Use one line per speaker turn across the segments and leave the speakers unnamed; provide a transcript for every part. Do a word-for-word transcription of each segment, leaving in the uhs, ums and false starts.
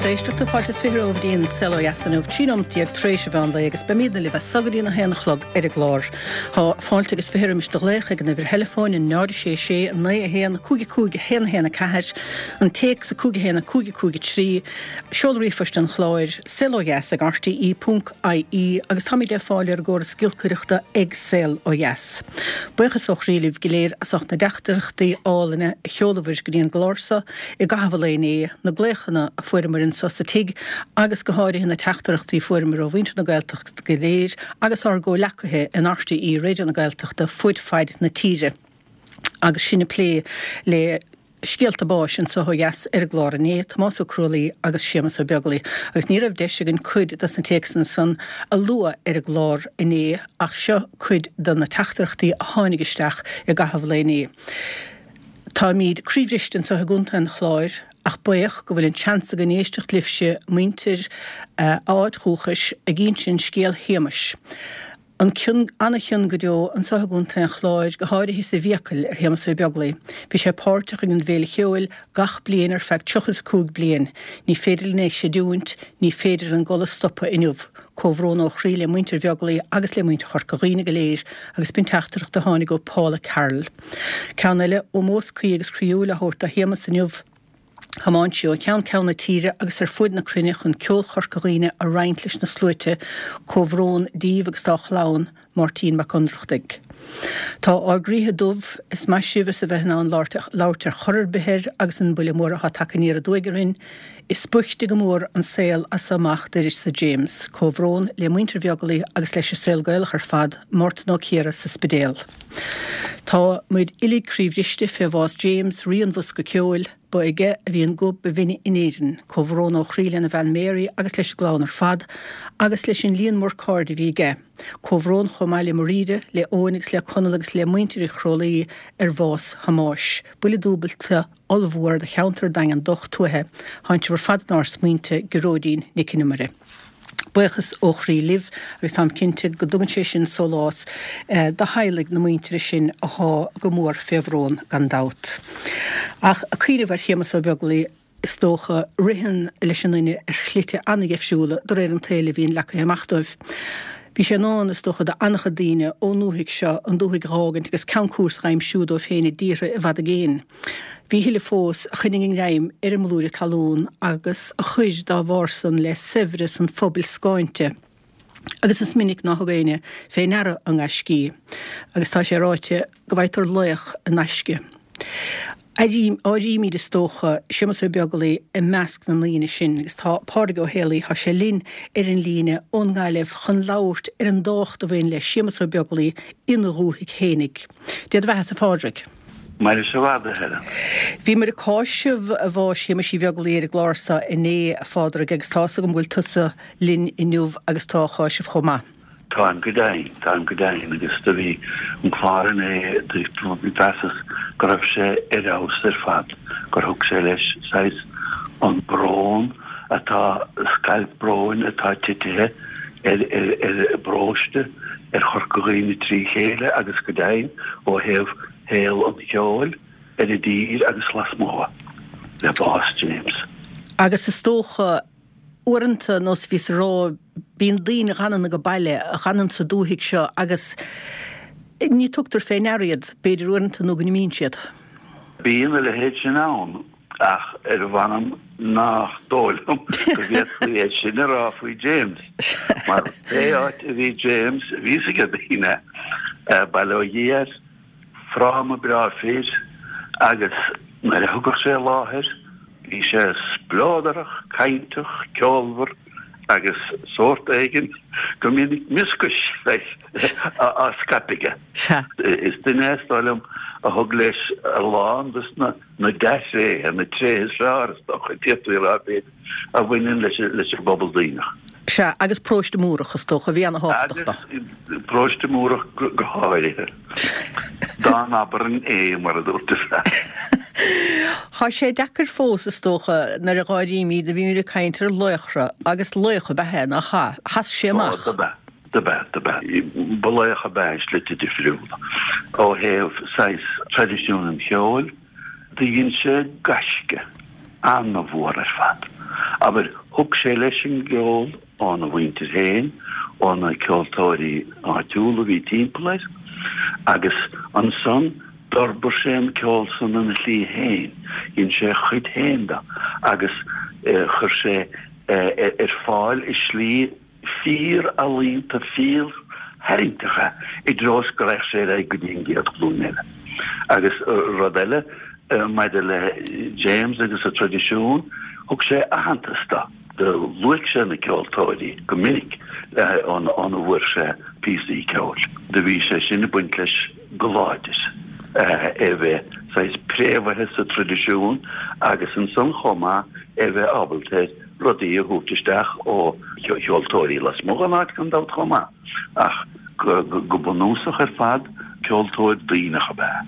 Lucht éisteachta fáilte is fiche romhaibh go dtí an Saol Ó Dheas inniu trí nóiméad déag tar éis an mheán lae agus beimidne libh as so go dtí a haon a chlog ar an gclár. Tá fáilte agus fiche roimis do ghlaoch ag an uimhir theileafóin an náid sé sé naoi a haon cúig cúig a haon a haon a ceathair, an téacs a cúig a haon a cúig cúig a trí, seoladh ríomhphoist an chláir, saolodheas ag rte ponc ie agus táimid le fáil ar an gcóras giolcaireachta ag Saol Ó Dheas. Buíochas ó chroí libh go léir as ucht na dteachtaireachtaí álainne a sheolabhair go dtí an gclár so i gcaitheamh an lae inné, na glaochanna a fuaireamar anso sa tigh agus go háirithe na teachtaireachtaí a fuaireamar ó mhuintir na Gaeltachta go léir agus ár gcomhghleacaithe in RTÉ Raidió na Gaeltachta fud fad na tíre. Agus sinn ag plé le scéalta báis anso ó dheas ar an gclár inné, Tomás Ó Crualaoi agus Séamus Ó Beaglaoi, agus ní raibh deis againn cuid dos na téacsanna san a lua ar an gclár inné ach seo cuid de na teachtaireachtaí a tháinig isteach i gcaitheamh an lae inné. Táimid croíbhriste anseo i gContae an Chláir ach buíoch go bhfuil an seans againn éisteacht libhse, muintir a áit dhúchais, ag insint scéal Shéamais. An cion, an-chion go deo anseo i gContae an Chláir, go háirithe sa bhFiacail, ar Shéamas Ó Beaglaoi. Bhí sé páirteach ag an bhFéile Cheoil gach bliain ar feadh tríocha is a cúig bliain. Ní féidir linn é a chreidiúint, ní féidir an gol a stopadh inniu. Comhbhrón ó chroí le muintir Bheaglaoi agus le muintir Chorca Dhuibhne go léir agus b'in teachtaireacht a tháinig ó Paula Carroll. Ceann eile, ómós cuí agus croíúil á thabhairt do Shéamas inniu. Thiomáin sé ó cheann ceann na tíre agus ar fuaid na cruinne chun ceol Chorca Dhuibhne a roinnt leis na sluaite. Comhbhrón díobh agus dá chlann, Máirtín Mac Ionnrachtaigh. Tá ár gcroíthe dubh, is maith sibh as a bheith in ann labhairt ar chor ar bith air agus an buille mór atá tagtha aniar aduaidh orainn. Is boichte go mór an saol as so amach d'uireasa James. Comhbhrón le muintir Bheaglaoi agus leis an saol Gaelach ar fad, Mártan Ó Ciardha sa Spidéal. Tá muid uilig croíbhriste fé bhás James, rí an bhosca ceoil. Ba aige a bhí an guth ba bhinne in Éirinn. Comhbhrón ó chroí lena bhean Mary agus leis an gclann ar fad, agus leis an líon mór cairde a bhí aige. Comhbhrón chomh maith le Mairíde, le Eoin agus le Conall agus le muintir Uí Chrólaí ar bhás Thomáis. Buille dúbailte ollmhór do cheantar Daingean docht tuaithe. Tánn sibh ar fad inár smaointe, Gearóidín Nic an Iomaire. Buíochas ó chroí libh agus táim cinnte go dtugann sé sin sólás do theaghlaigh na muintire sin athá go mór fé bhrón gan dabht. Ach ag cuimhneamh ar Shéamus Ó Beaglaoi, is dócha, ritheann leis an nduine ar shlite an-dheifriúla de réir an tsaoil a bhíonn leagtha amach dóibh. Bhí sé in ann, is dócha, do an-chuid daoine ón ndúthaigh seo an dúthaigh dh'fhágaint agus ceann cúrsa dh'aimsiú dóibh féin i dtíortha i bhfad i gcéin. Bhí a thuilleadh fós a choinnigh a ngreim ar an mblúire talún agus a chuir dá bharr san le saibhreas an phobail scáinte. Agus is minic ná thug éinne fé ndeara a ngaiscí. Agus tá sé ráite go bhfaightear laoch i ngaisce. Áirímid, is dócha, Séamus Ó Beaglaoi i measc na ndaoine sin agus tá Pádraig Ó Héalaí, tá sé linn ar an líne ón nGaillimh chun labhairt ar an dtábhacht a bhain le Séamus Ó Beaglaoi ina dhúthaigh fhéinig. Dé do bheathasa, a Phádraig.
Mairis i bhfad, a Helen.
Bhíomar ag cáiseamh bháis Shéamuis Uí Bheaglaoi ar an gclár seo inné, a Phádraig, agus tá's agam go bhfuil tusa linn inniu agus tú á cháiseamh chomh maith.
Táim go deimhin, táim go deimhin, agus do bhí an clár inné, mheasas go raibh sé ar fheabhas ar fad, gur thug sé leis saghas an brón atá, scailp bróin atá titithe ar ar ar an bparóiste, ar Chorca Dhuibhne trí chéile agus go deimhin ó thaobh shaol an cheoil ar an dtír agus lasmuigh le bás James.
Agus is dócha Uaireanta, nós a bhíos a rá, bíonn daoine a dh'fhanann age baile, a dh'fhanann sa dúthaigh seo agus ní tugtar fé ndeara iad, b'fhéidir, uaireanta nó go n-imíonn siad.
Bíonn a leithéid sin ann ach ar a mh'anam nach dóigh liom go bhféadfaí é sin a rá faoi James mar pé áit a bhí James, bhí fhios ag daoine, bail ó Dhia air, Fráma breá fir agus nuair a thigeadh sé i láthair bhí sé spleodarach, cainteach, ceolmhar agus sórt éigin go minic mioscais leis á scaipeadh aige. Is duine é is dóigh liom a thug leis a lán dos na dea-thréithe, na tréithe is fearr is dócha, d'fhéadfaí a rá b'fhéidir, a bhaineann leis an bpobal Duibhneach.
Sea, agus paróiste Múrach, is dócha, a bhí ana-thábhachtach dó.
Agus paróiste Múrach go háirithe. Dá n-abrainn é, mar a dúirt an fear.
Tá sé deacair fós, is dócha, nuair a dh'áirímid, nuair a bhímid ag caint ar laochra, agus laoch ab ea é, nach ea? Sheas sé amach.
Ó, dob ea, dob ea, dob ea. Ba laoch ab ea i slite difriúla. Ó thaobh saghas traidisiún an cheoil, Do dhein sé gaisce ana-mhór ar fad. Abair, thug sé leis an gceol óna mhuintir féin, ó na ceoltóirí áitiúla a bhí timpeall air, agus ansan d'fhorbair sé an ceol san ina shlí féin, dhein sé a chuid féin de agus chuir sé ar fáil i slí fíor-ealaíonta, fíor-tharraingteach é i dtreo is go raghadh sé ar aghaidh go dtí an gcéad ghlúin eile. Agus rud eile maidir le James agus an traidisiún, thug sé aitheantas dó. Do luaigh sé na ceoltóirí go minic óna bhfuair sé píosaí ceoil. Do bhí sé sin ag baint leis go láidir, é a bheith saghas préamhaithe sa traidisiún agus ansan chomh maith é a bheith ábalta ar rudaí a thabhairt isteach ó cheoltóirí lasmuigh den áit gan dabht chomh maith, ach go bunúsach ar fad ceoltóir duíneach ab ea.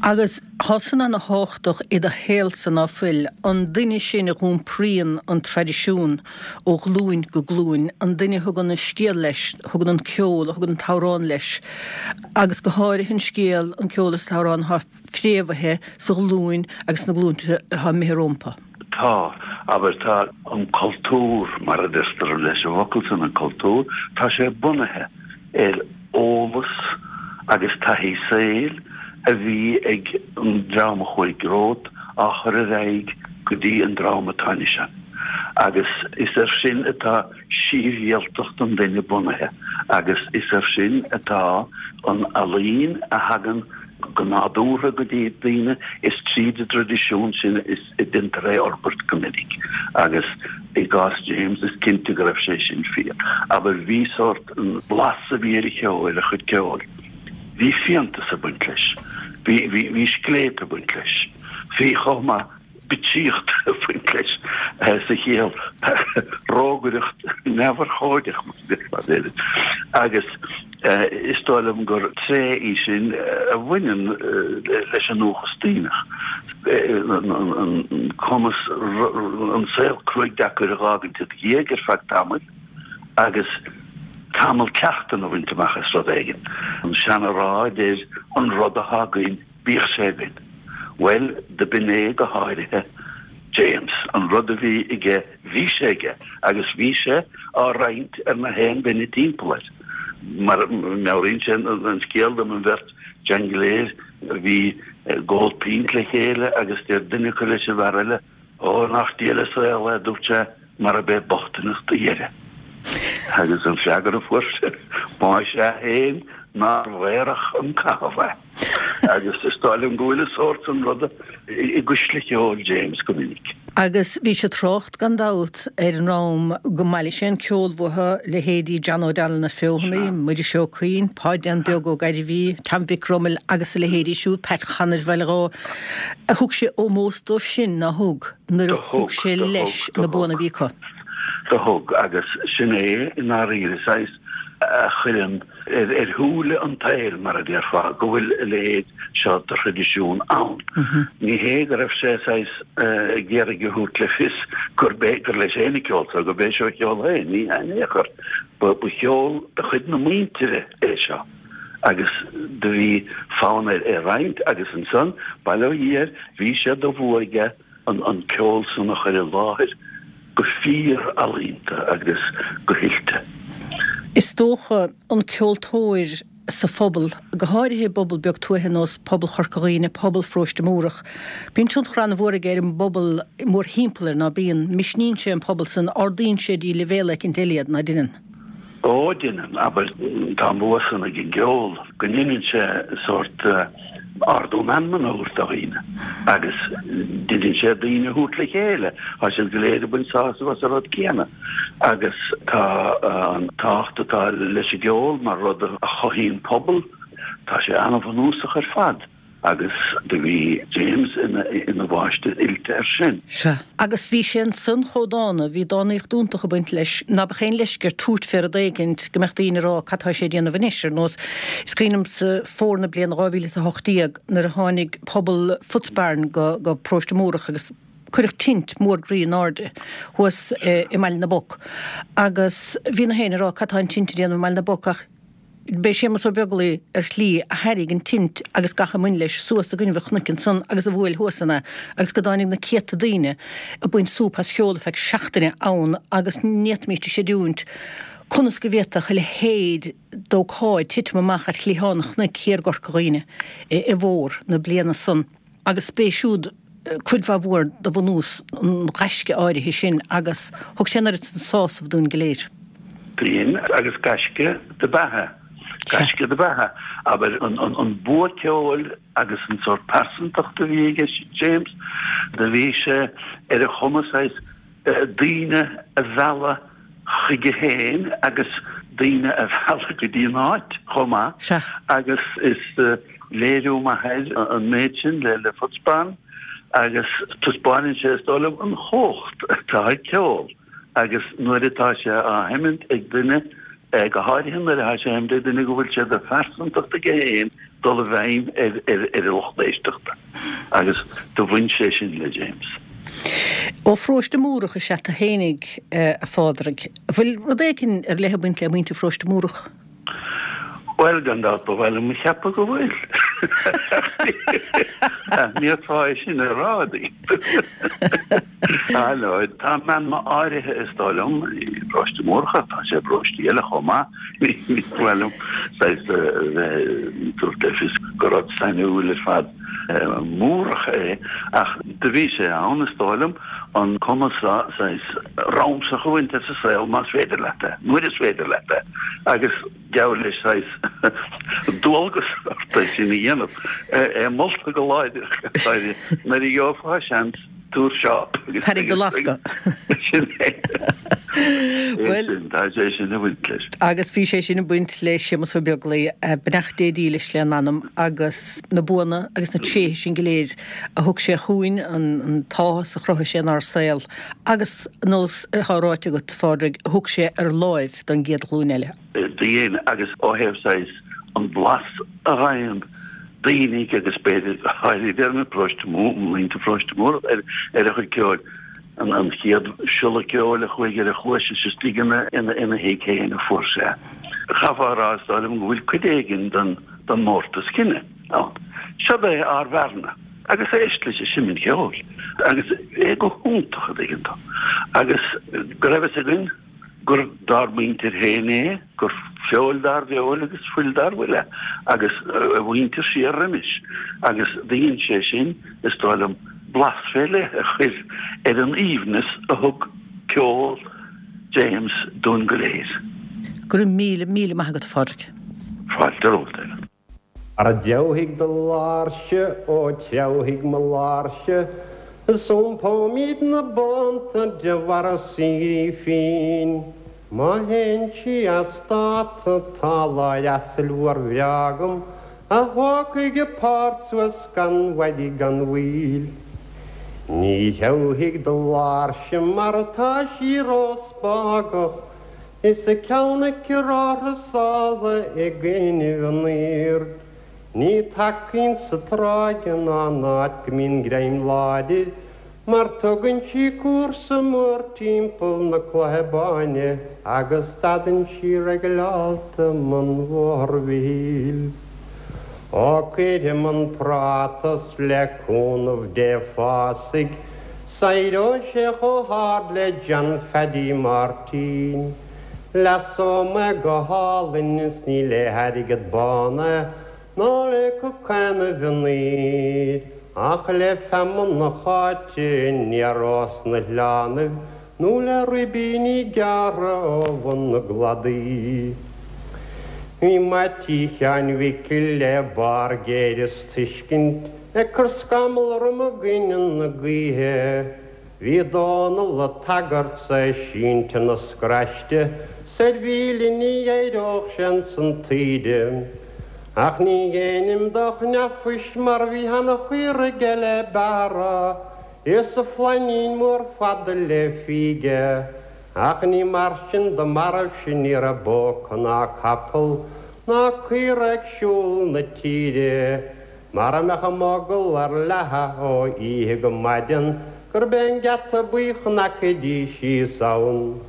Agus thá san ana thábhachtach i do shaolsa, ná fuil, an duine sin a dh'iompraíonn an traidisiún ó ghlúin go glúin, an duine a thugann an scéal leis, a thugann an ceol, a thugann an t-amhrán leis, agus go háirithe an scéal, an ceol is an t-amhrán athá fréamhaithe sa ghlúin agus sna glúinte athá imithe rómpa.
Tá, abair, tá an cultúr, mar a deirtear leis an bhfocal san, an cultúr, tá sé bunaithe ar eolas agus taithí saoil a bhí ag an dream a chuaigh romhat á chur ar aghaidh go dtí an dream atá anois ann. Agus is air sin atá sibhialtacht an duine bunaithe agus is air sin atá an ealaín a thagann go nádúrtha go dtí daoine, is tríd an dtraidisiún sin is a deintear é a fhorbairt go minic agus i gcás James is cinnte go raibh sé sin fíor. Abair bhí sórt, an blas a bhí ar a cheol, ar a chuid ceoil, bhí fiántas ag baint leis, bhí, bhí, bhí scléip ag baint leis, bhí chomh maith bitsíocht ag baint leis sa chiall rógaireacht neamhurchóideach mar a déarfá b'fhéidir. Agus is dóigh liom gur tréith í sin a bhaineann leis an ndúchas Duíneach, an cumas an saol cruaidh deacair a dh'fhágaint i do dhiaidh ar feadh tamaill agus tamall cleachtan a bhaint amach as rud éigin. An seana-rá a deir an rud athá againn bíodh sé againn. Bhuel, do b'in é go háirithe James. An rud a bhí aige, bhí sé aige agus bhí sé á roinnt ar na haon duine timpeall air. Mar meabhraíonn sé an scéal dom an bheirt jangléir a bhí ag ól pínt le chéile agus deir duine acu leis an bhfear eile, Ó, nach diail an saol é, a dúirt sé, marab é bochtaineacht a dheireadh. Agus an freagra a fuair sé, Más ea féin, nár mheidhreach an caitheamh é. Agus is dóigh liom go bhfuil an sórt san ruda i gcuisle cheoil James go minic.
Agus bhí sé ag trácht, gan dabht, ar an am go mbailigh sé an ceol uathu, leithéidí John O'Donnell na Feothanaí, Muiris Ó Cuinn, Páid Dan Beag Ó Gairbhí, Tom Mhic Fhromail agus a leithéidí siúd, Pat Chanair Bhaile Dhó. Thug sé ómós dóibh sin, ná thug, nuair a thug sé leis na buanna a bhí acu.
Do thug, agus sin é i ndáiríre saghas a chuireann ar shúile an tsaoil, mar a déarfá, go bhfuil a leithéid seo de thraidisiún ann. Ní hé go raibh sé saghas ag iarraidh a thabhairt le fios gurb é, gur leis féin an ceol seo, gurb é seo a cheol féin, ní hea in aon chor. Ba cheol de chuid na muintire é seo agus do bhí fonn air é a roinnt agus ansan, bail ó Dhia air, bhí sé de bhua aige an ceol san a chur i láthair go fíor-ealaíonta agus go hoilte.
Is dócha, an ceoltóir sa phobal, go háirithe i bpobal beag tuaithe ar nós pobal Chorca Dhuibhne, pobal Pharóiste Múrach, bíonn tionchar an-mhór aige ar an bpobal mórthimpeall air, ná bíonn? Misníonn sé an pobal san, ardaíonn sé dtí leibhéal eicint eile iad, ná deineann?
Ó, deineann, abair, tá an bua san ag an gceol, go ndeineann sé sórt ardú meanman a thabhairt do dhaoine agus deineann sé daoine a thabhairt le chéile, tá siad go léir ag baint sásamh as an rud céanna agus tá an tábhacht atá leis an gceol mar rud a chothaíonn pobal, tá sé an-bhunúsach ar fad. Agus do bhí James ina mháistir oilte air sin.
Sea. Agus bhí sé ansan chomh dána, bhí dánaíocht iontach ag baint leis, ná beadh aon leisce air tabhairt fé rud éigint go mbeadh daoine ag rá cad tá sé ag déanamh anois, ar nós, is cuimhin liomsa fómhar na bliana dhá mhíle is a hocht déag nuair a tháinig pobal Footsbarn go go Paróiste Múrach agus cuireadh tint mór groí in airde thuas i mBaile na bPoc agus bhí na héinne ag rá cad tá an tint ag déanamh i mBaile na bPoc ach B'é Séamus Ó Beaglaoi ar shlí a thairrig an tint agus gach a mbain leis suas i gcoinnibh an chnoic ansan agus a bhuail thuas ann é agus go dtáinig na céadta daoine ag baint súp as cheol ar feadh seachtaine ann agus ní fhéadfaimíst a chreidiúint conas go bhféadfadh a leithéid d'ócáid titim amach ar chliathán an chnoic thiar i gCorca Dhuibhne i bhfómhar na bliana san agus b'é siúd cuid mhaith mhór de bhunús an ghaisce áirithe sin agus thug sé an oiread san sásamh dúinn go léir.
Dúinn agus gaisce do b'ea é. Gaisce do b'ea é. Abair, an bua ceoil agus an sórt pearsantacht a bhí aige James, do bhí sé ar a chumas saghas daoine a mhealladh chuige féin agus daoine a mhealladh go dtí an áit chomh maith agus is léiriú maith air an méid sin le Footsbarn agus taispeánann sé is dóigh liom an chumhacht atá ag ceol agus nuair atá sé á sheimint ag duine, go háirithe nuair atá sé á sheimint ag duine go bhfuil sé de phearsantacht aige féin dul i bhfeidhm ar a lucht éisteachta agus do bhain sé sin le James.
Ó Pharóiste Múrach is ea tu fhéinig, a Phádraig. Bhfuil rud éicin ar leith ag baint le muintir Pharóiste Múrach?
Bhuel, gan dabht, ba mhaith liom a cheapadh go bhfuil. Ach ní fhéadfá é sin a rá duit. Ah, no, tá meanma áirithe, is dóigh liom, i bparóiste Múrach, ach tá sé i bparóistí eile chomh maith. Ní mhaith liom saghas a bheith ag tabhairt le fios gur rud sainiúil ar fad Múrach é, ach do bhí sé ann, is dóigh liom, an cumas saghas ramsach a bhaint as an saol más féidir leat é, nuair is féidir leat é, agus geall leis saghas dualgas ort é sin a dhéanamh, é molta go láidir nuair a gheofá seans tabhair seáp agus
Tarraing do lasca.
Sin é. Bhuel, tá sé sin ag baint leis.
Agus bhí sé sin ag baint le Séamus Ó Beaglaoi, beannacht Dé dílis lena anam agus na buanna agus na tréithe sin go léir a thug sé chugainn, an t-áthas a chruthaigh sé inár saol agus, nós atá ráite agat, a Phádraig, a thug sé ar láimh don gcéad ghlúin eile.
Do dhein, agus ó thaobh saghas an blas a fhaigheann daoine agus b'fhéidir go háirithe ar na paróiste mór, muintir pharóiste Múrach ar ar a chuid ceoil, an an chéad siolla ceoil a chuaigh ar a chluais is istigh ina ina ina thigh féin a fuair sé. Chaithfeá a rá is dóigh liom go bhfuil cuid éigin den den mórtas cine ann. Seod é ár bhfear-na agus éist leis ag seimint cheoil agus é go hiontach a dtuigeann tú agus go raibh fhios againn gur dár muintir féin é, gur feoil dár bhfeoil agus fuil dár bhfuil é, agus a mhuintir siar roimis, agus do dhein sé sin, is dóigh liom, blas fé leith a chur ar an aoibhneas a thug ceol James dúinn go léir.
Go raibh míle, míle maith agat, a Phádraig.
Fáilte romhat, Ellen.
Ara treabhfaidh do láirse, ó treabhfaidh mo láirse, Is iompóimid na bonnta de bharra saoirí féin. Má théann sí as dáta tá láir asail mhór bhreá agam A thógfaidh a páirt suas gan mhaidí gan mhoill. Ní threabhfaidh do láirse mar tá sí róspágach, Is a ceann aici róthrasála i gcoinnibh an aoird. Ní tacaíonn sa tráigh ná in áit go mbíonn greim láidir, mar tugann sí cúrsa mór timpeall na Cloiche Báine agus stadann sí reigileálta i mbun Bhóthar Mhichíl. Ó cuirfidh an práta 's le cúnamh Dé fásfaidh 's éireoidh sé chomh hard le John Pheaidí Máirtín. Leasóidh mé go hálainn is ní le hairgead bán é ná le cocaine an aoir ach le feamainn na háite aniar ós na hoileánaibh nó le ribíní gearrtha ó bhun na gcladaí. Bhí Meaití Sheáin Mhicil le barr géire is tuiscint Ag cur scamall orm i gcoinne na gaoithe. Bhí Dónall a' tagairt 's é sínte ina scraiste 's ar mhíle ní éireodh sé ins an taoide. Ach ní dhéanaim do chneaphoist mar bhí ana-chaora aige le bearradh is a flainín mór fada le fíge. Ach ní mar sin do mairbh-se ní raibh bó ná capall ná caora ag siúl na tíre. Mara mbeadh a mogall ar leathadh ó oíche go maidin gurb é an Geata Buí chonaicfidís síos ann.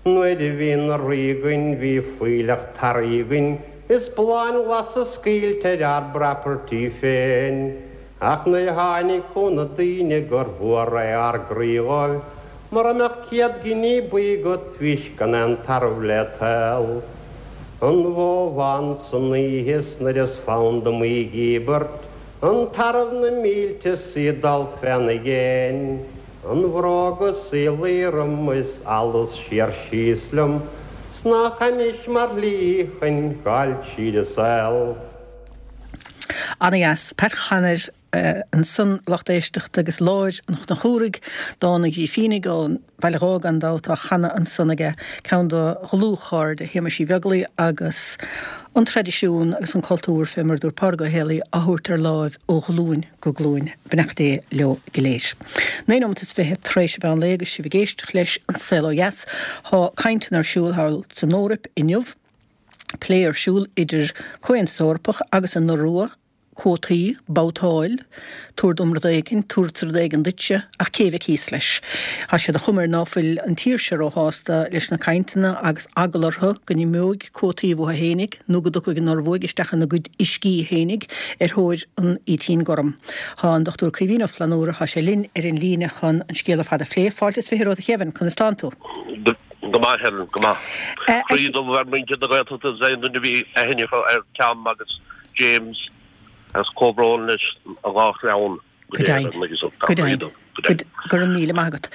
Nuair a bhí ina rí againn bhí fuílleach tarraí againn is bláthanna glasa scaoilte ar ár bproperty féin. Ach nuair a tháinig chun na daoine gur mhór é ár gcroí dhóibh, mura mbeadh céad giní buí agat bhís gan aon tarbh le toil. An bhó bhán san oíche 's nuair is fonn dom í dhíbirt, an tarbh na mílte 's í ag dul féna dhéin. An bhróg is í ag luí orm is allas siar síos liom 's nach anois mar shlí chun gabháil tríd an saol.
Ana-dheas. Pat Chanair ansan lucht éisteachta agus Láir an Chnochúraigh, dán an Ghrífínigh ón Bhaile Dhó gan dabht á chanadh ansan aige, ceann de dhlúthchairde Shéamais Uí Bheaglaoi agus an traidisiún agus an cultúr, fé mar a dúirt Pádraig Ó Héalaí, á thabhairt ar láimh ó ghlúin go glúin. Beannacht Dé leo go léir. Naoi nóiméad is fiche tar éis an mheán lae agus sibh ag éisteacht leis An Saol Ó Dheas. Tá cainteanna ar siúl thall san Eoraip inniu, plé ar siúl idir Comhaontas Eorpach agus an Iorua, cuótaí, babhtáil, tabhair dom rud éigin, tabharfadsa rud éigin duitse, ach cé bheidh thíos leis? Tá sé de chuma air ná fuil an tír seo róshásta leis na cainteanna agus eagla orthu go n-imeoidh cuótaí uathu fhéinig nó go dtiocfaidh an Ioruaidh isteach ina gcuid uiscí fhéinig ar thóir an fhaoitín gorm. Tá an Dochtúir Caoimhín Ó Flannúra, tá sé linn ar an líne chun an scéal ar fad a phlé. Fáilte is fiche romhat a Kevin, conas tánn tú?
Go maith, Helen, go maith. Croí dubh ar mhuintir na Gaeltachta is aon duine a bhí aithne acu ar Tom agus James. Agus comhbhrón leis an dhá chlann
go léir. Go deimhin. Go raibh míle maith agat.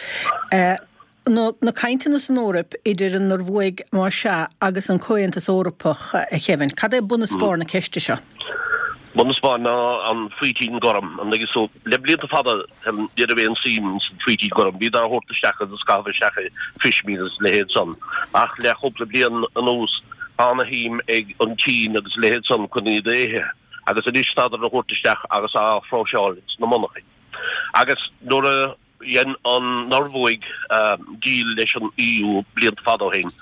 Na cainteanna san Eoraip idir an Ioruaidh, más ea, agus an Comhaontas Eorpach, a Kevin, cad é bun is barr na ceiste seo?
Bun is barr ná an faoitín gorm. An dtuigeann tú? Le blianta fada ní raibh aon suim san faoitín gorm. Bhíodar á thabhairt isteach agus á chaitheamh isteach i fishmeal agus a leithéid san. Ach le chúpla bliain anuas tá ana shuim ag an tSín agus a leithéid san chun iad a ithe. Agus anois tádar á thabhairt isteach agus á phróiseáil sna monarchain. Agus nuair a dhein an Norbhuaidh deal leis an EU blianta fada ó shin,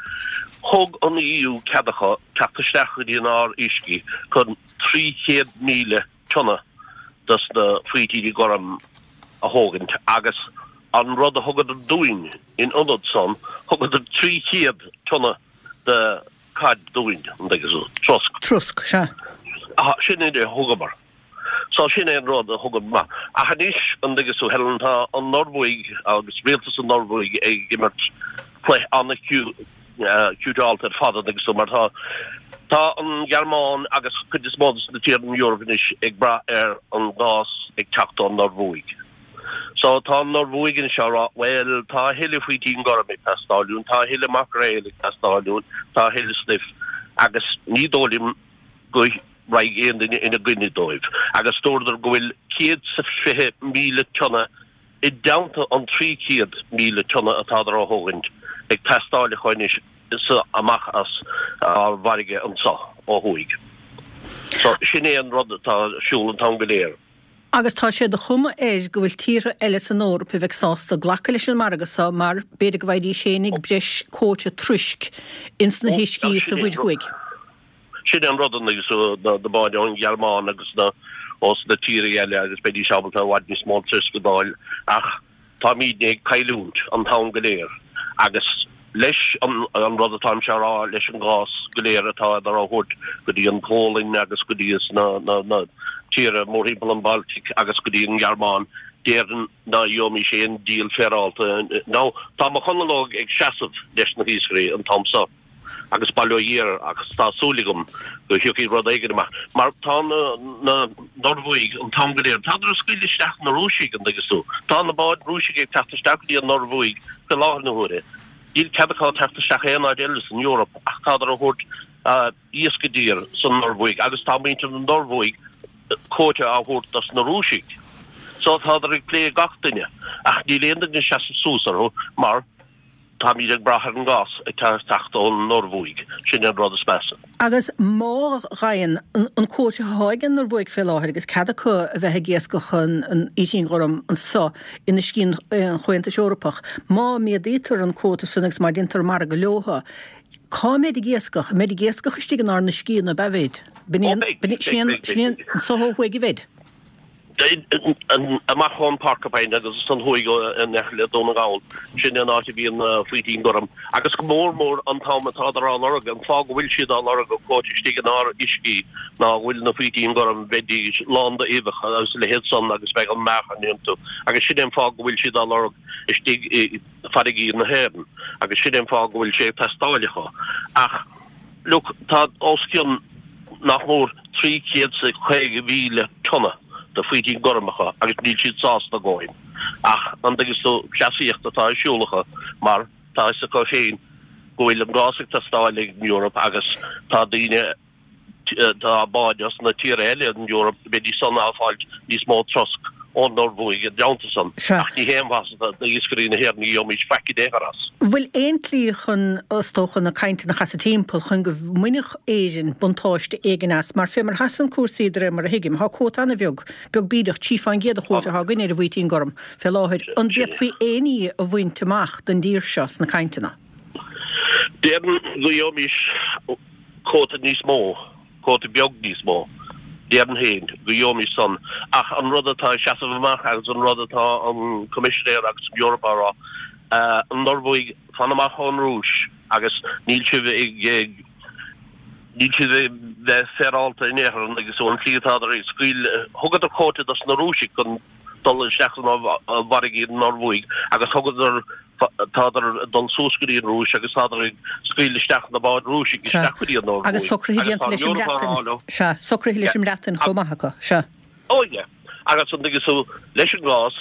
thug an EU cead acu teacht isteach go dtí inár uiscí chun trí chéad míle tonna dos na faoitíní gorm a thógaint agus an rud a thugadar dúinn in ionad san, thugadar trí chéad tonna de cod dúinn, an dtuigeann tú, trosc.
Trosc, sea.
Aha, sin é a thugamar. So sin é an rud a thugamar. Ach anois, an dtuigeann tú, Helen, tá an Norbhuaidh agus rialtas an Norbhuaidh ag imirt cluiche an-chiútáilte ar fad, an dtuigeann tú, mar tá tá an Ghearmáin agus cuid is mó de na tíortha in Europe anois ag brath ar an gás ag teacht ón Norbhuaidh. So tá an Norbhuaidh anois á rá, bhuel, tá a thuilleadh faoitín gorm ag teastáil uainn, tá a thuilleadh maicréil ag teastáil uainn, tá a thuilleadh stuif, agus ní dóigh liom go raghaidh aon duine ina gcoinne dóibh. Agus dúradar go bhfuil céad 's a fiche míle tonna i dteannta an trí chéad míle tonna atádar á thógaint ag teastáil acu anois amach as ár bhfarraige anso ó thuaidh. So sin é an rud atá ar siúl an t-am go léir.
Agus tá sé de chuma air go bhfuil tíortha eile san Eoraip a bheidh sásta glacadh leis an margadh seo mar b'fhéidir go bhfaighidís fhéinig breis cuóta truisc ins na huiscí sa Mhuir Thuaidh.
Sin é an rud, agus na báid ón Ghearmáin agus na ós na tíortha eile agus beidís ábalta i bhfad níos mó truisc a d'fháil ach táimídne ag cailliúint an t-am go léir agus leis an rud atáimse á rá leis an gás go léir atá á thabhairt go dtí an Pholainn agus go dtí na tíortha mórthimpeall an Baltic agus go dtí an Ghearmáin, déarfainn ná gheobhaimís aon díol féaráilte. Now, tá mo Chonall Óg ag seasamh leis na hiascairí an t-am so. Agus bail ó Dhia air agus tá súil agam go thiocfaidh rud éigin amach mar tá na Norbhuaidh an t-am go léir, tádar ag scaoileadh isteach na Rúisigh, an dtuigeann tú. Tá na báid Rúisigh ag teacht isteach go dtí an Norbhuaidh faoi láthair na huaire. Níl cead acu teacht isteach aon áit eile san Eoraip ach tádar a thabhairt iasc i dtír san Norbhuaidh agus tá muintir na Norbhuaidh cuóta á thabhairt dos na Rúisigh. So tádar ag plé gach duine ach níl aon duine ag seasamh suas orthu mar Táimid ag brath ar an gás ag teacht ón Norbhuaidh, sin an rud is measa.
Agus má ghaibheann an cuóta atá ag an Norbhuaidh fé láthair agus cead acu a bheith ag iascach an fhaoitín ghorm anso in uiscí an Chomhaontais Eorpach, má méadaítear an cuóta san agus má déantar margadh leotha, cá mbeid ag iascach? An mbeid ag iascach istigh inár n-uiscí nó ab ea bheid? B'in é an, sin é an, anso ó thuaidh a bheid?
Amach ón Porcupine agus san thuaidh in aice le Dún na nGall, sin an áit a bhíonn faoitín gorm. Agus go mór mór an t-am atádar á lorg, an fáth go bhfuil siad á lorg go cuairte istigh inár uiscí ná go bhfuil na faoitín gorm, bheidís lán d'uibheacha agus a leithéid san agus bheadh an meáchan iontu. Agus sin é an fáth go bhfuil siad á lorg istigh i bhfarraigí na hÉireann. Agus sin é an fáth go bhfuil sé ag teastáil acu. Ach look, tá os cionn nach mór trí chéad is caoga mhíle tonna de faoitín gorm acu agus níl siad sásta a dhóthain. Ach an dtuigeann tú, cleasaíocht atá ar siúl acu mar tá fhios acu féin go bhfuil an gás ag teastáil ag an Eoraip agus tá daoine, tá báid as na tíortha eile in Eoraip, beidís san á fáilt níos mó trosc ón Norbhuaidh i dteannta san.
Sea.
Ach ní haon mhaitheas d'iascairí na hÉireann, ní gheobhaimís faic in aon chor as.
Bhfuil aon tslí chun, is dócha, na cainteanna a chasadh timpeall chun go mbainfeadh Éirinn buntáiste éigin as? Mar fé mar a sheasann cúrsaí de réir mar a thuigim, tá cuóta an-bheag, beag bídeach, trí fán gcéad an chuóta atá againn ar an bhfaoitín gorm fé láthair. An bhféadfaí aon ní a bhaint amach don dtír seo sna cainteanna?
Déarfainn go gheobhaimis cuóta níos mó. cuóta beag níos mó, déarfainn féin, go gheobhaimis san. Ach an rud atá ag seasamh amach agus an rud atá an Coimisinéir agus an Eoraip á rá, an Norbhuaidh, fan amach ón Rúis agus níl sibh ag, níl sibh ag bheith féaráilte in aon chor agus an tslí atádar ag scaoileadh, thugadar cuóta dos na Rúisigh chun dul isteach sna farraigí an Norbhuaidh agus thugadar Tádar ag dul suas go dtí an Rúis agus tádar ag scaoileadh isteach na báid Rúisigh isteach go dtí an Norbhuaidh.
Agus socruithe déanta leis an mBreatain. Sea, socruithe leis an mBreatain chomh maith acu. Sea.
Ó yeah. Agus an dtuigeann tú, leis an gcás,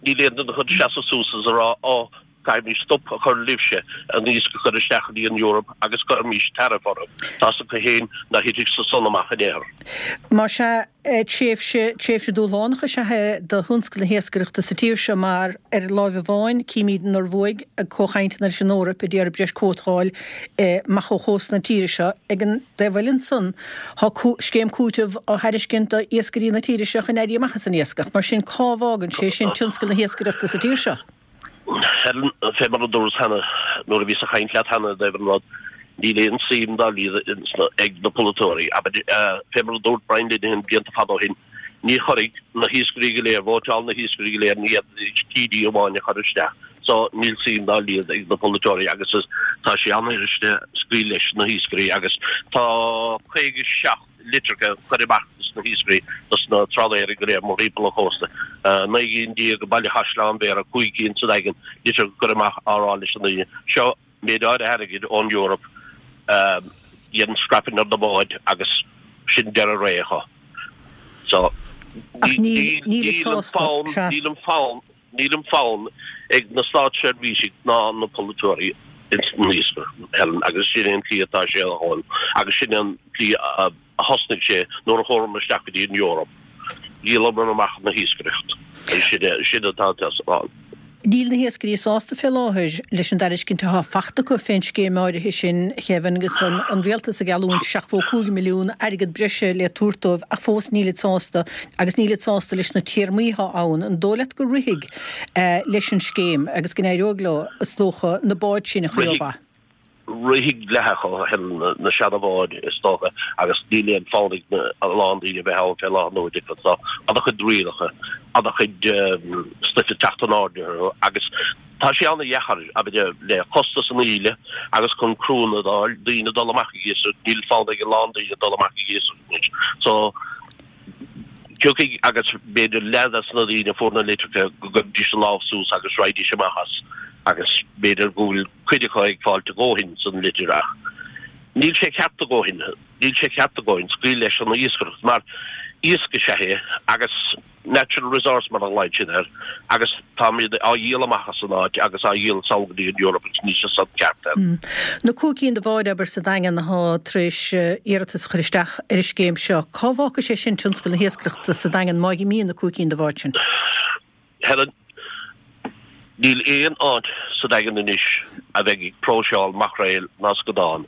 níl aon duine chun seasamh suas is a rá, ó, caithfimid stop a chur libhse an iasc a chur isteach go dtí an Eoraip agus cuirfimid tariff orthu. Tá's acu féin ná thitfidh sé san amach in aon chor.
Más ea, Tréimhse, tréimhse dúshlánach is ea é do thionscal na hiascaireachta sa tír seo mar, ar láimh amháin, címid an Norbhuaidh ag comhchainteanna leis an Eoraip a d'iarraidh breis cuóta a fháil amach ó chósta na tíre seo. Ag an dtaobh eile ansan, tá scéim cúitimh á thairiscint do iascairí na tíre seo chun éirí amach as an iascach. Mar sin, cá bhfágann sé sin tionscal na hiascaireachta sa tír seo?
Helen, fé mar a dúras cheana, nuair a bhíos ag caint leat cheana i dtaobh an rud, níl aon suim dá laghad ag na polaiteoirí. Abair, fé mar a dúirt Brian Lenihan blianta fada ó shin, ní chuirfidh na hiascairí go léir, vótáil na hiascairí go léir, ní fhéadfaidís TD amháin a chur isteach. So, níl suim dá laghad ag na polaiteoirí agus is, tá sé an-fhuiriste scaoileadh leis na hiascairí agus tá caoga seacht litreacha curtha amach dos na hiascairí, dos na trálaeirí go léir mórthimpeall an chósta. Naoi gcinn déag i mBaile Chaisleáin Bhéarra, cúig cinn sa Daingean, litreacha curtha amach á rá leis na daoine, seo méid áirithe airgid ón Eoraip, déan scrapping ar na báid agus sin deireadh ré acu. So,
Ach níl, níl
níl an fonn, níl an fonn, Níl an fonn ag na státseirbhísigh ná na polaiteoirí ins an iascaireacht, Helen, agus sin é an tslí atá sé a dhul agus sin é an tslí a thosnaigh sé nuair a chuamar isteach go dtí an Eoraip. Dhíolamar amach na hiascaireacht agus sin é sin atá ann.
Níl na hiascairí sásta fé láthair leis an dtairiscint atá fachta acu fén scéim áirithe sin, a Kevin, agus an rialtas ag geallúint seachtó cúig milliún airgead breise le tabhairt dóibh ach fós nílid sásta agus nílid sásta leis na téarmaí atá ann. An dóigh leat go rithfidh leis an scéim agus go n-éireoidh leo, is dócha, na báid sin a chur ó mhaith?
Rithfidh leath acu, Helen, na seana-bháid, is dócha, agus níl aon fonn ag a lán daoine a bheith ann fé láthair na huaire because tá an-chuid rialacha, an-chuid stuif ag teacht in airde orthu agus tá sé an-dheacair, abair, le costas an íle agus chun criúnna a fháil, daoine dul amach ag iascaireacht, níl fonn ag a lán daoine dul amach ag iascaireacht anois. So. Tiocfaidh agus b'fhéidir leath des na daoine a fuair na litreacha go gcuirfidís a lámh suas agus raghaidís amach as agus b'fhéidir go bhfuil cuid acu ag fáilt a dhóthain san litir ach níl sé ceart a dhóthain, níl sé ceart a dhóthain scaoil leis an iascaireacht mar iasc is ea é agus natural resource mar a ghlaonn siad air agus táimid á dhíol amach as an áit agus á dhíol sall go dtí an Eoraip agus níl sé san ceart.
Na cúig cinn de bháid, abair, sa Daingean atá tar éis iarratas a chur isteach ar an scéim seo, cá bhfágfaidh sé sin tionscal na hiascaireachta sa Daingean má imíonn na cúig cinn de bháid sin?
Helen, Níl aon áit sa Daingean anois a bheidh ag próiseáil maicréil ná scadán.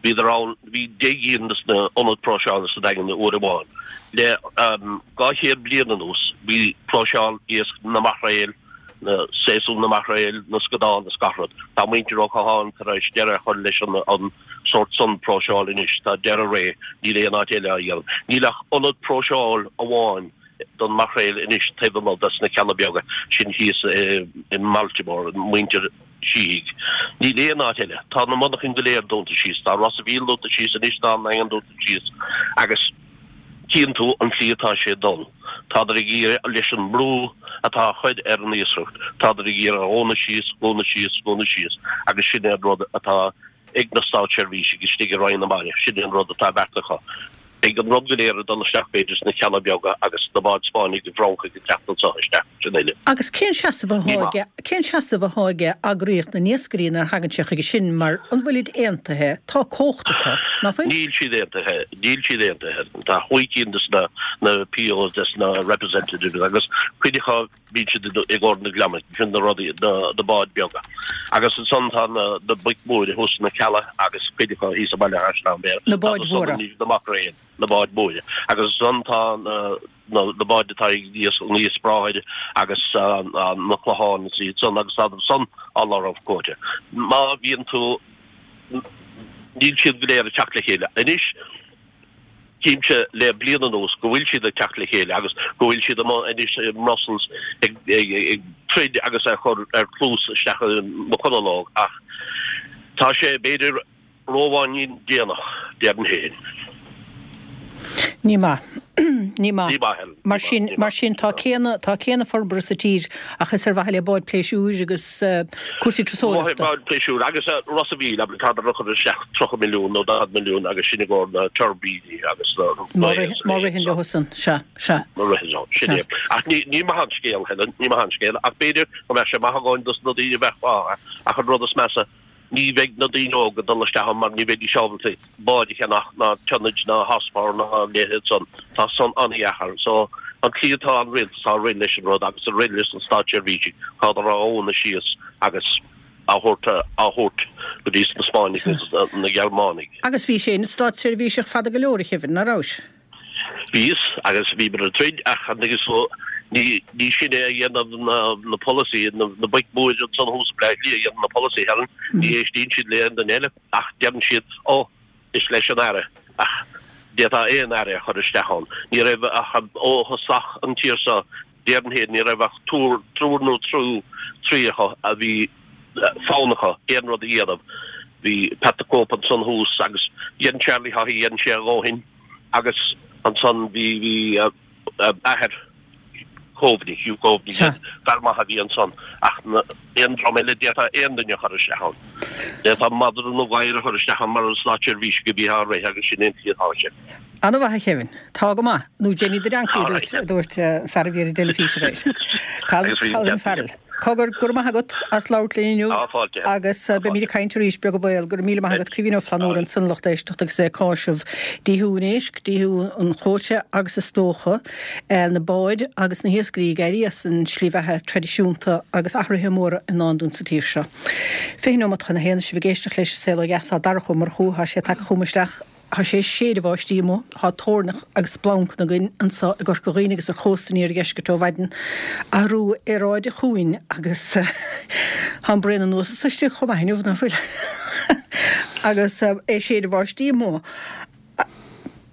Bhíodar ann, bhí deich gcinn de na ionaid próiseála sa Daingean uair amháin. Le dhá chéad bliain anuas bhí próiseáil iasc na maicréil, na séasúr na maicréil, na scadán is gach rud. Tá muintir Ó Catháin tar éis deireadh a chur leis an sórt san próiseáil anois. Tá deireadh ré, níl aon áit eile á dhéanamh. Níl ach ionad próiseáil amháin don maicréil anois taobh amuigh des na Cealla Beaga sin thíos i mBaltimore, muintir Sheehy. Níl aon áit eile. Tá na monarchain go léir dúnta síos. Tá Ros a' Mhíl dúnta síos anois, tá an Daingean dúnta síos agus tchíonn tú an tslí atá sé ag dul. Tádar ag iarraidh, leis an mbrú atá á chur ar an iascaireacht, tádar ag iarraidh a dhúnadh síos, dhúnadh síos, dhúnadh síos agus sin é an rud atá ag na státseirbhísigh istigh i Roinn na Mara, sin é an rud atá beartaithe acu. Beidh an rud go léir ag dul isteach b'fhéidir sna Cealla Beaga agus na báid Spáinnigh i bhFrancaigh ag teacht anso isteach, sin uile.
Agus cén seasamh athá aige, cén seasamh athá aige eagraíocht na n-iascairí nuair a thagann sé chuige sin mar an bhfuilid aontaithe, tá cumhacht acu, ná fuil?
Níl siad aontaithe, níl siad aontaithe. Tá chúig cinn des na na POs des na representatives agus cuid acu bíonn siad i gcomhair na gliomaigh, sin na rudaí, na na báid beaga. Agus ansan tá na na boic mhóra thuas sna Cealla agus cuid acu thíos i mBaile Chaisleáin Bhéarra.
Na báid mhóra.
Na macréil, na báid mhóra. Agus ansan tá na na báid atá ag an iasc bráthair agus na clocháin is iad san agus tá san á lorg cuóta. Má bhíonn tú, níl siad go léir ag teacht le chéile. Anois, tchímse le bliain anuas go bhfuil siad ag teacht le chéile agus go bhfuil siad amuigh anois i mBrussels ag troid agus ag cur ar cluas isteach i McConalogue ach tá sé b'fhéidir róbháinín déanach, déarfainn féin.
Ní maith. Ní maith.
Ní maith, Helen.
Mar sin, mar sin tá céanna, tá céanna forbartha sa tír ach is ar mhaithe le báid pléisiúir agus cúrsaí turasóireachta.
Báid pléisiúir agus Ros a' Mhíl, abair, tádar ag cur isteach tríocha milliún nó daichead milliún agus sin i gcomhair na tuirbíní agus na
Má má ritheann leo san, sea, sea.
Má ritheann leo, sin é. Ach ní, ní maith an scéal, Helen, ní maith an scéal ach b'fhéidir go mbeadh sé maith againn dos na daoine a bheadh fágtha ach an rud is measa, Ní bheidh na daoine óga ag dul isteach ann mar ní bheidís ábalta báid a cheannach ná tonnage ná horsepower ná a leithéid san. Tá san an-dheacair. So, an tslí atá an rialtas á rith leis an rud agus ag rith leis na státseirbhísigh, tádar á dhúnadh síos agus á thabhairt á thabhairt go dtí na Spáinnigh agus na Gearmánaigh.
Agus bhís féin id státseirbhíseach fada go leor, a Kevin, ná rabhais?
Bhíos, agus bhíomar ag troid, ach an dtuigeann tú, ní, ní sinne a dhéanann na, na polasaí, na, na boic mhóra ansan thuas i mBleá Cliath a dhéanann na polasaithe, Helen, ní éistíonn siad le aon duine eile, ach deireann siad, ó, is leis an Aire, ach d'fhéadfá aon Aire a chur isteach ann. Ní raibh ach, ó thosach an tír seo, déarfainn féin, ní raibh ach túr, triúr nó trú, trí acu a bhí fonn acu aon rud a dhéanamh. Bhí Pat the Cope ansan thuas agus dhein Charlie Haughey, dhein sé a dhóthain. Agus ansan bhí, bhí athair Coveney, Hugh Coveney, fear maith a bhí ansan ach aon dream eile d'fhéadfá aon duine a chur isteach ann. D'fhéadfá madra nó gadhar a chur isteach ann mar státseirbhísigh a bhí á rith agus sin é an tslí atá sé.
Ana-mhaith a Kevin. Tá go maith. Nó Jenny the Donkey a dúirt, a dúirt an fear a bhí ar an dteilifís aréir. Colin Farrell. Cogar, go raibh maith agat as labhairt linn inniu agus beimid ag caint arís, beag an baol. Go raibh míle maith agat, Caoimhín Ó Flannúra ansan a lucht éisteachta agus é ag cáiseamh díothú an éisc, díothú an chuóta agus is dócha na báid agus na hiascairí ag éirí as an slí bheatha traidisiúnta agus athruithe móra i ndán dúinn sa tír seo. Fiche nóiméad chun a haon, sibh ag éisteacht leis An Saol Ó Dheas, tá Darach Ó Murchú, tá sé tagtha chugam isteach. Tá sé ag séideadh báistí amuigh, tá toirneach agus splancanna againn anseo i gCorca Dhuibhne agus ar chósta an iardheiscirt ó mhaidin. Athrú aeráide chugainn agus tá an braon anuas is istigh chomh maith inniu, nach bhfuil? Agus é ag séideadh báistí amuigh.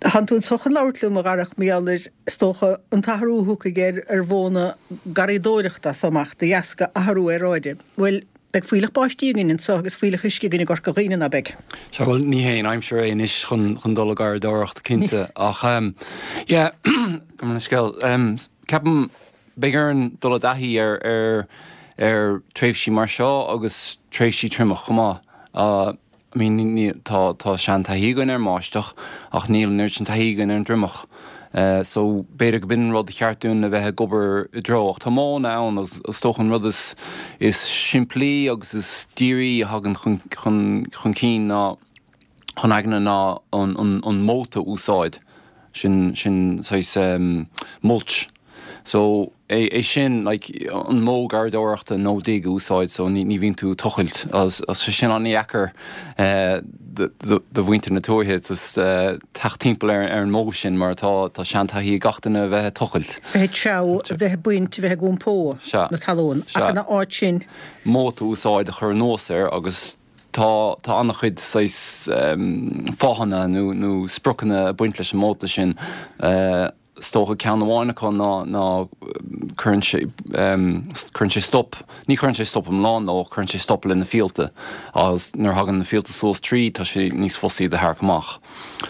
Tánn tú anseo chun labhairt liom, a Dharach, mar gheall ar, is dócha, an t-athrú a thiocfaidh ar ar mhodhanna garraíodóireachta as so amach de dheasca athrú aeráide. Bhuel, Beidh fuílleach báistí againn anseo agus fuílleach uisce againn i gCorca Dhuibhne, ná beidh?
Sea, bhuel, ní haon aimsir é anois chun chun dul ag garraíodóireacht, cinnte, ach yeah, gabh mo leithscéal. Ceapaim, beidh orainn dul i dtaithí ar ar ar tréimhsí mar seo agus tréimhsí triomach chomh maith. I mean, ní, tá, tá seantaithí againn ar an mbáisteach ach níl an oiread sin taithí againn ar an dtriomach. So, b'fhéidir go b'in an rud a cheart dúinn a bheith ag obair i dtreo. Ach tá modhanna ann agus is dócha an rud is, is simplí agus is dírí a thagann chun, chun, chun cinn ná, chun aigne ná an, an, an móta a úsáid. Sin, sin saghas mulch. So, é, é sin, like, an modh garraíodóireachta no dig a úsáid, so ní, ní bhíonn tú ag tochailt. Agus tá sé sin an-dheacair do, do, do mhuintir na tuaithe just teacht timpeall ar, ar an modh sin mar tá, tá seantaithí ag gach duine a bheith ag tochailt.
Bheith ag treabhadh, a bheith ag baint, a bheith ag iompó
Sea.
na talún.
Sea.
Ach ina áit sin.
Móta a úsáid a chur anuas air agus tá, tá an-chuid saghas fáthanna nó, nó spriocanna ag baint leis an móta sin. Is dócha ceann amháin acu ná ná cuireann sé cuireann sé stop, ní chuireann sé stop iomlán leo, cuireann sé stop le na fíolta agus nuair a thagann na fíolta suas tríd tá sé níos fusa iad a tharrac amach.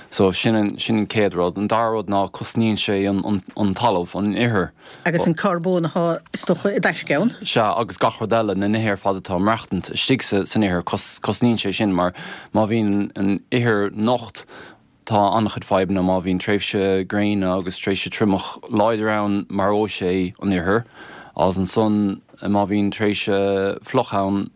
So sin an sin an chéad rud. An dara rud ná cosnaíonn sé an an an talamh, an ithir.
Agus an carbón atá is dócha i dtaisce ann.
Sea, agus gach rud eile, na nithe ar fad atá ag maireachtaint istigh sa san ithir, cos cosnaíonn sé sin mar má bhíonn an ithir nocht, Tá an-chuid fadhbanna má bhíonn tréimhse gréine agus tréimhse triomach láidir ann, maróidh sé an ithir, agus ansan má bhíonn tréimhse fliuch ann,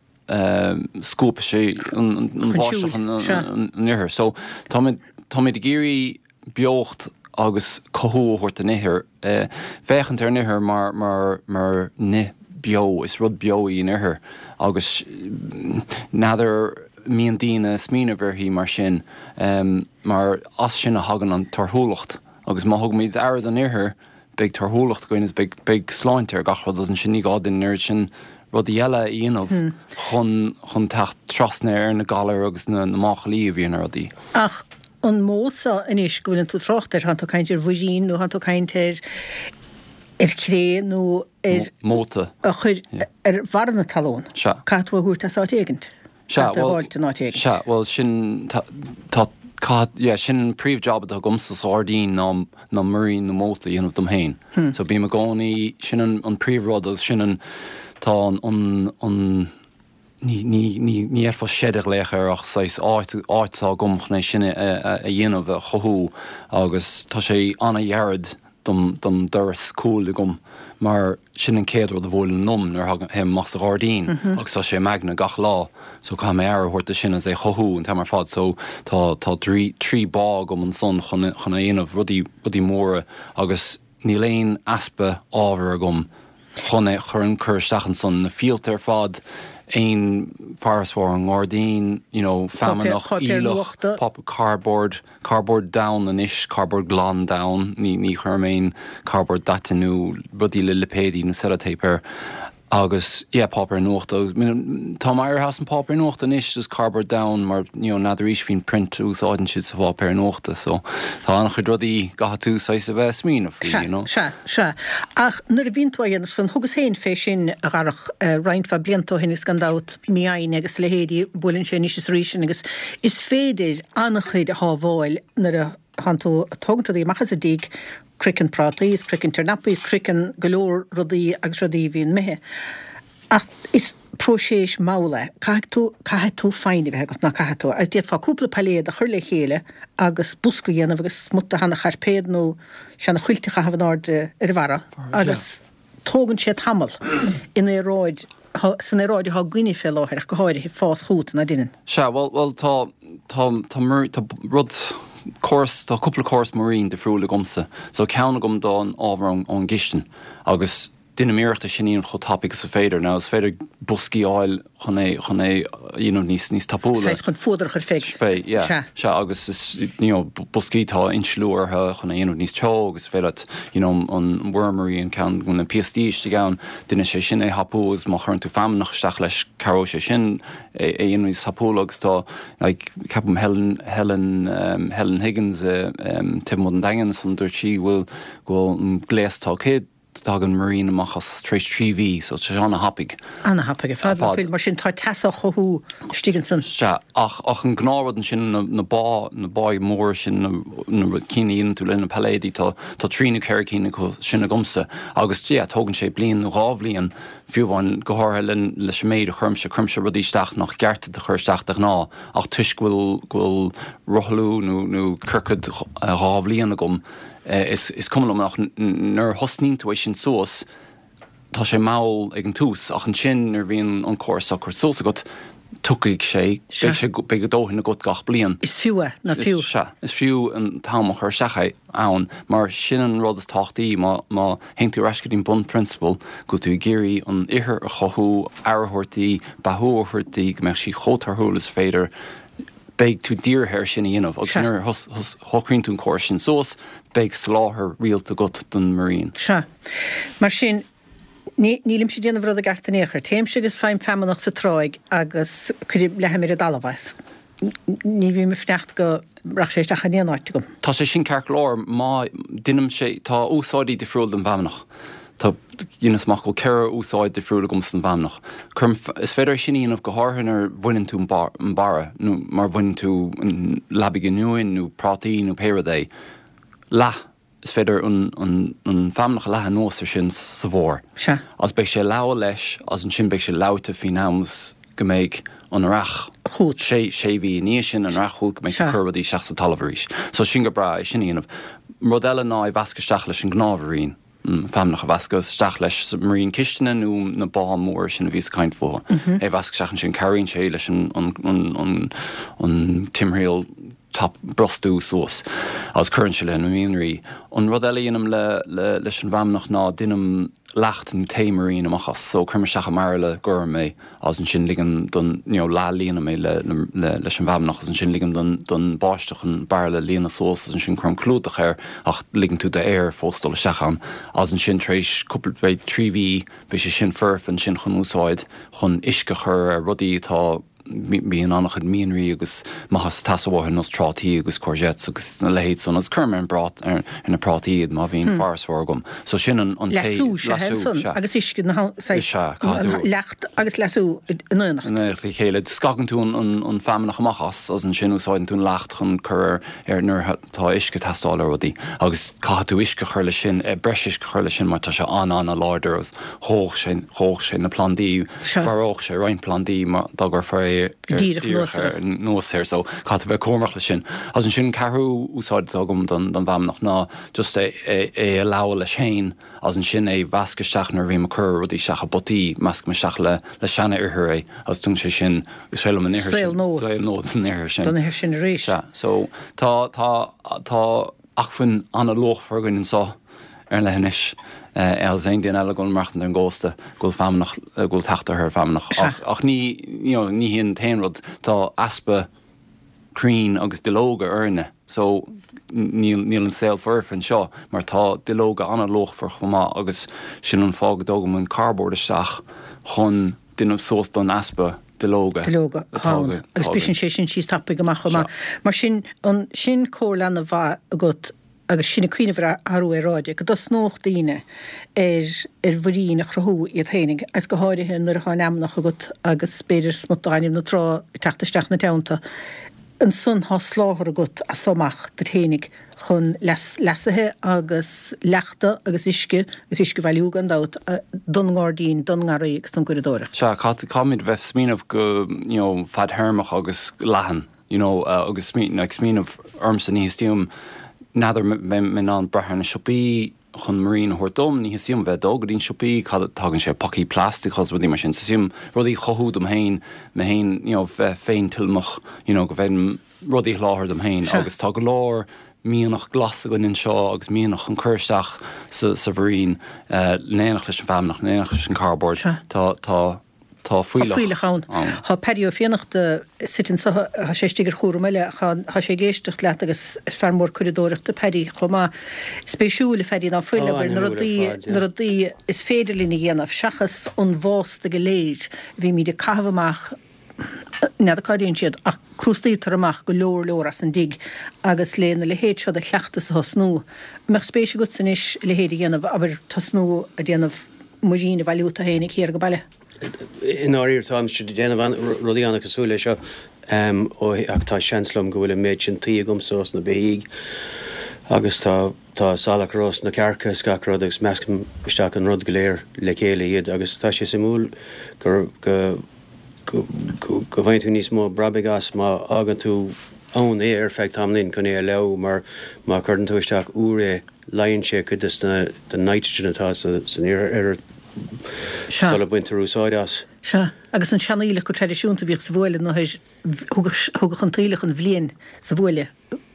scuabfaidh sé an bháisteach an ithir. So táimid táimid ag iarraidh beocht agus cothú a thabhairt don ithir, féachaint ar an ithir mar mar mar nith beo, is rud beo í an ithir agus n'fheadar mbíonn daoine ag smaoineamh uirthi mar sin mar as sin a thagann an torthúlacht agus má thugaimid aire don ithir beidh torthúlacht againn agus beidh beidh sláinte ar gach rud agus ansin ní gá duinn an oiread sin rudaí eile a dhéanamh chun chun teacht trasna ar na galair agus na na máchailí a bhíonn ar rudaí.
Ach an modh seo anois go bhfuileann tú ag trácht air, tánn tú ag caint ar mhuirín nó tánn tú ag caint ar ar chré nó ar
móta
a chur ar bharra na talún.
Sea.
Caithfidh tú a thabhairt as áit éigint.
Sea,
Caithfidh tú a
bhuel,
fháilt in áit éigint.
sea, bhuel, sin, tá, tá, caithfidh, yeah, sin an príomh-job atá agamsa sa ghairdín ná, ná muirín nó móta a dhéanamh dom féin. So bím i gcónaí, sin an, an príomh-rud agus sin an, tá an, an, an, ní, ní, ní, ní fhéadfá seid a ghlaoch air ach saghas áit, áit atá agam chun é sin a, a, a dhéanamh, a chothú agus tá sé an-ghairid dom, dom doras cúil agam mar sin an chéad rud a bhuaileann liom nuair a théim amach sa ghairdín agus tá sé i m'aigne gach lá so caithfidh mé aire a thabhairt do sin agus é a chothú an t-am ar fad so tá, tá trí, trí bá agam ansan chun, chun é a dhéanamh, rudaí, rudaí móra agus níl aon easpa ábhair agam chun é chur, cur isteach ansan, na fíolta ar fad, aon farasbarr ón ngairdín, you know, feamnach,
Páipéar
aoileach,
nuachta.
páipéar, cardboard, cardboard donn anois, cardboard glan donn, ní, ní chuirim aon cardboard daite nó rudaí le lipéidí nó sellotape air. Agus, yeah, páipéar nuachta agus, tá mé éirithe as an páipéar nuachta anois, just cardboard donn mar, you know, n'fheadar arís faoin print a úsáideann siad sa pháipéar nuachta, so tá an-chuid rudaí go gcaithfidh tú saghas a bheith ag smaoineamh faoi,
Sea,
you know.
sea, sea. Ach nuair a bhíonn tú á dhéanamh san, thugas féin fé sin, a Dharach, roinnt mhaith blianta ó shin agus gan dabht mí fhoighne agus a leithéidí, buaileann sé anois is arís sinn agus is féidir an-chuid a shábháil nuair a thánn tú ag tógaint rudaí amach as an dtigh, craiceann prátaí is craiceann tornapaí is craiceann go leor rudaí agus rudaí a bhíonn imithe. Ach is próiseas mall é. Caithfidh tú, caithfidh tú foighne a bheith agat, ná caithfidh tú? Agus d'fhéadfá cúpla pailléad a chur le chéile agus bosca a dhéanamh agus smut de sheana-chairpéad nó seana-chuilt a chaitheamh in airde ar a bharra agus tógann sé tamall in aeráid, san aeráid atá againne fé láthair ach go háirithe, fás chugat, ná deineann?
Sea, bhuel, bhuel, tá, tá, tá, tá rud, córas, tá cúpla córas muirín difriúil agamsa. So ceann agam don ábhar ón gcistin agus deinim iarracht é sin a dhéanamh chomh tapaidh agus is féidir. Now is féidir boscaí a fháil chun é, chun é a dhéanamh níos, níos tapúla.
Saghas chun fuadar a chur fé.
Fé, yeah.
Sea.
Sea, agus is, you know, boscaí tá insliú orthu chun é a dhéanamh níos teo agus is féidir leat, you know, an wormery, an ceann go bhfuil na piastaí istigh ann, déanann sé sin é thapú agus má chuireann tú feamnach isteach leis cabhróidh sé sin é a dhéanamh níos tapúla agus tá, like, ceapaim Helen, Helen, um, Helen Higgins i, um, taobh amuigh den Daingean ansan dúirt sí go bhfuil, go bhfuil an gléas atá aici, tagann muirín amach as tar éis trí mhí so tá sé ana-thapaidh.
Ana-thapaidh ar fad,
fad.
Mar sin tá teas á chothú istigh ansan.
Sea, ach, ach an gnáthrud ansin na, na bá, na báí móra sin, na, na cinn a dhéanann tú le na pailléidí, tá, tá trí nó ceithre cinn acu sin agamsa agus yeah, tógann sé bliain nó dhá bhliain fiú amháin, go háirithe le, leis an méid a chuirimse, cuirimse rudaí isteach nach gceart duit a chur isteach de ghnáth ach toisc go bhfuil, go bhfuil rothlú nó, nó ciorcad dhá bhliain agam, Is is cuma liom ach nuair a thosnaíonn tú é sin suas tá sé mall ag an tús ach ansin nuair a bhíonn an córas á cur suas agat tiocfaidh sé, beidh sé, beidh a dóthain agat gach bliain.
Is fiú é, nach fiú?
Sea, is fiú an t-am a chur isteach é ann mar sin an rud is tábhachtaí má má théann tú ar ais go dtí an bunphrionsabal go bhfuil tú ag iarraidh an ithir a chothú, aire a thabhairt di, beathú a thabhairt di, go mbeadh sí chomh torthúil is féidir. beidh tú dírithe ar sin a dhéanamh agus nuair a shocraíonn tú an córas sin suas, beidh soláthar rialta agat don muirín.
Sea. Mar sin, ní, nílimse ag déanamh rud i gceart in aon chor. Téimse agus faighim feamnach sa tráigh agus cuirim, leathaim ar an dtalamh é. ní bhím ag fanacht go raibh sé isteach in aon áit agam.
Tá sé sin ceart go leor má deinim sé tá úsáidí difriúil don bhfeamnach. Tá dheineas amach go bhfuil ceithre úsáid difriúil agam san bhfeamnach. Cuirim is féidir é sin a dhéanamh go háirithe nuair a bhaineann tú an barra nó mar bhaineann tú an leabaidh oinniúin nó prátaí nó pé rud é. Leath Is féidir an an feamnach a leathadh anuas ar sin sa bhfómhar.
Sea.
Agus beidh sé leamh leis agus ansin beidh sé leáite faoin am is go mbeidh an earrach
Chugat.
sé sé mhí i ndiaidh sin an earrach chugat go mbeidh tú
Sea.
ag cur rudaí isteach sa talamh arís. So sin go breá é sin a dhéanamh. Rud eile ná é mheascadh isteach leis an ngnáthmhuirín. An feamnach a mheascadh isteach leis sa muirín cistine nó na báid móra sin a bhíos ag caint fúthu. É mheascadh isteach ansin cabhraíonn sé leis an an an an an timthriall tap brostú suas agus cuireann sé le na mianraí. An rud eile a dhéanaim le le leis an bhfeamnach ná déanaim leacht nó tae muirín amach as. So cuirim isteach i mbairille gorm é agus ansin ligim don you know leath líonaim é le le leis an bhfeamnach agus ansin ligim don don báisteach an bairille a líonadh suas agus ansin cuirim clúdach air ach ligeann tú d'aer fós dul isteach ann agus ansin tar éis cúpla beidh trí mhí beidh sé sin foirfe ansin chun úsáid chun uisce a chur ar rudaí atá Bíonn an-chuid mianraí agus maitheas ag teastáil uathu ar nós trátaí agus courgettes agus a leithéid san agus cuirim ar an bprát ar na prátaí iad má bhíonn farasbarr agam. So sin an an tae
Leasú, sea,
leasú,
ansan
sea.
agus uisce na
Is
saghas
ea, caithfidh tú.
leacht agus leasú in éineacht.
In éineacht le chéile. Scagann tú an an an feamnach amach as agus ansin úsáideann tú an leacht chun cur ar ar nuair atá uisce ag teastáil ar rudaí agus caithfidh tú uisce a chur leis sin, breis uisce a chur leis sin mar tá sé an-an-láidir agus dhódh sé dhódh sé na plandaí
Sea.
mharódh sé roinnt plandaí má dá gcuirfeá é
Díreach anuas air.
anuas air so caithfidh tú bheith cúramach leis sin. Agus ansin an ceathrú úsáid atá agam don don bhfeamnach ná just é é é a leabhadh leis féin agus ansin é mheascadh isteach nuair a bhím ag cur rudaí isteach i bpotaí, meascaim isteach le le seana-ithir é agus tugann sé sin is féidir liom an ithir
Saol
sin
nua.
saol nua don ithir sin.
Don ithir sin arís.
Sea, so tá tá tá acmhainn an-luachmhar againn anseo ar an leithinis agus aon duine eile ag dul maireachtaint ar an gcósta go bhfuil feamnach, go bhfuil teacht orthu ar feamnach. Ach, ach ní, you know, ní hí an t-aon rud, tá easpa crainn agus duilleoga orainne so níl, níl an saol foirfe anseo mar tá duilleoga an-luachmhar chomh maith agus sin an fáth go dtógaim an cardboard isteach chun déanamh suas don easpa duilleoga
Duilleoga
atá
ann. Agus
atá
briseann sé sin síos tapaidh amach chomh maith. Mar sin, an, sin comhairle an-mhaith agat agus sinn ag cuimhneamh ar athrú aeráide, go dtosnódh daoine ar ar mhuirín a chruthú iad féinig, agus go háirithe nuair atá an fheamnach agat agus b'fhéidir smut de ghaineamh na trá ag teacht isteach ina teannta, ansan tá soláthar agat as so amach duit féinig chun leas leasaithe agus leachta agus uisce, agus uisce a bhailiú gan dabht, don ngairdín, don ngarraí agus don gcuradóireacht.
Sea, caithfimid bheith ag smaoineamh go, you know, fadthéarmach agus leathan. You know, agus like smaoineamh ormsa ní theastaíonn uaim, n'fheadar an mbeidh mé in ann brath ar na siopaí chun muirín a thabhairt dom, ní theastaíonn uaim bheith ag dul go dtí na siopaí, cad, tagann sé i bpacaí plastic agus rudaí mar sin, so theastaíonn uaim rudaí a chothú dom féin, mé féin, you know, bheith féintuilleamach, you know, go bhféadfainn rudaí a sholáthar dom féin
Sea.
agus tá go leor mianach glas againn anseo agus mianach chun cur isteach sa, sa mhuirín, eh, in éineacht leis an bhfeamnach, in éineacht leis an cardboard,
Sea.
tá, tá. Tá
Tá fuílleach ann. Tá Paddy Ó Fiannachta suite anseo, tá sé istigh ar chúram eile, tá sé ag éisteacht leat agus is fear mór curadóireachta Paddy chomh maith. Spéisiúil, a Phaddy, ná fuil, abair, na rudaí, na rudaí is féidir linn a dhéanamh seachas an bhásta go léir a bhímid ag caitheamh amach, n'fheadar cá dtéann siad ach crústaítear amach go leor leor as an dtigh agus lena leithéid seo de chleachtas a thosnú. An mbeadh spéis agatsa anois a leithéid a dhéanamh, abair, tosnú ag déanamh muirín a bhailiú tú féinig thiar ag baile?
I ndáiríre táimse ag déanamh rudaí an-chosúil leis seo ó ach tá seans liom go bhfuil an méid sin tuí agamsa ós na beithígh agus tá tá salachar ós na cearca is gach rud agus meascaim isteach an rud go léir le chéile iad agus tá sé suimiúil gur go go go go bhfaigheann tú níos mó brabaigh as má fhágann tú ann é ar feadh tamaillín chun é a leabú mar má chuireann tú isteach úr é leáonn sé cuid de na den nitrogen atá sa san ithir
Sea.
sula baintear úsáid as.
Sea, agus an seanfhuílleach go traidisiúnta a bhíodh sa bhuaile nó thugadh thugadh an t-aoileach an bhliain sa bhuaile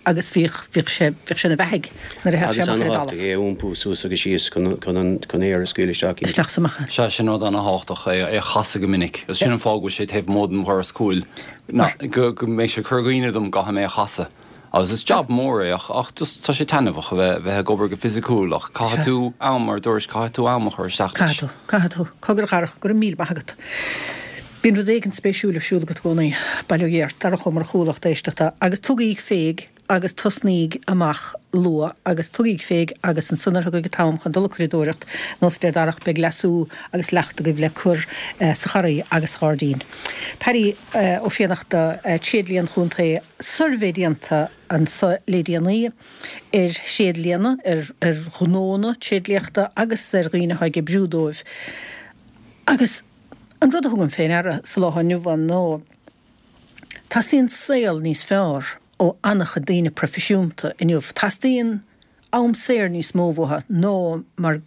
agus bhíodh bhíodh sé bhíodh sé ina bheathaigh nuair a theadh sé
Agus
amach ar an
an-tábhachtach
dtalamh.
é a iompú suas agus síos chun chun an chun aer a scaoileadh isteach.
Isteach is amach.
Sea, sin rud an-tábhachtach é é a chasadh go minic. Agus sin an fáth go bhfuil sé taobh amuigh den dhoras cúil ná go go mbeidh sé ag cur i gcuimhne dom go gcaithfidh mé é a chasadh. Agus is jab mór é ach ach just tá sé taitneamhach a bheith bheith ag obair go fisiciúil ach caithfidh
Sea.
tú am mar a dúirt caithfidh tú am a chur isteach leis.
Caithfidh tú, caithfidh tú. Cogar a Dharach, go raibh míle maith agat. Bíonn rud éigin spéisiúil ar siúl agat i gcónaí, bail ó Dhia ort, Darach Ó Murchú, lucht éisteachta, agus tugaig féig agus tosnaíg amach luath agus tugaig féig agus ansan nuair a thiocfaidh an t-am chun dul ag curadóireacht, nós a deir Darach, beidh leasú agus leacht agaibh le cur sa gharraí agus sa ghairdín. Paddy Ó Fiannachta, Tréidlia an Chontae, suirbhé déanta anso le déanaí ar thréidlianna, ar ar ghnónna tréidliachta agus ar dhaoine atá ag oibriú dóibh. Agus an rud a thugaim fé ndeara sa lá atá inniu ann ná teastaíonn saol níos fearr ó an-chuid daoine proifisiúnta inniu. Teastaíonn am saor níos mó uathu ná mar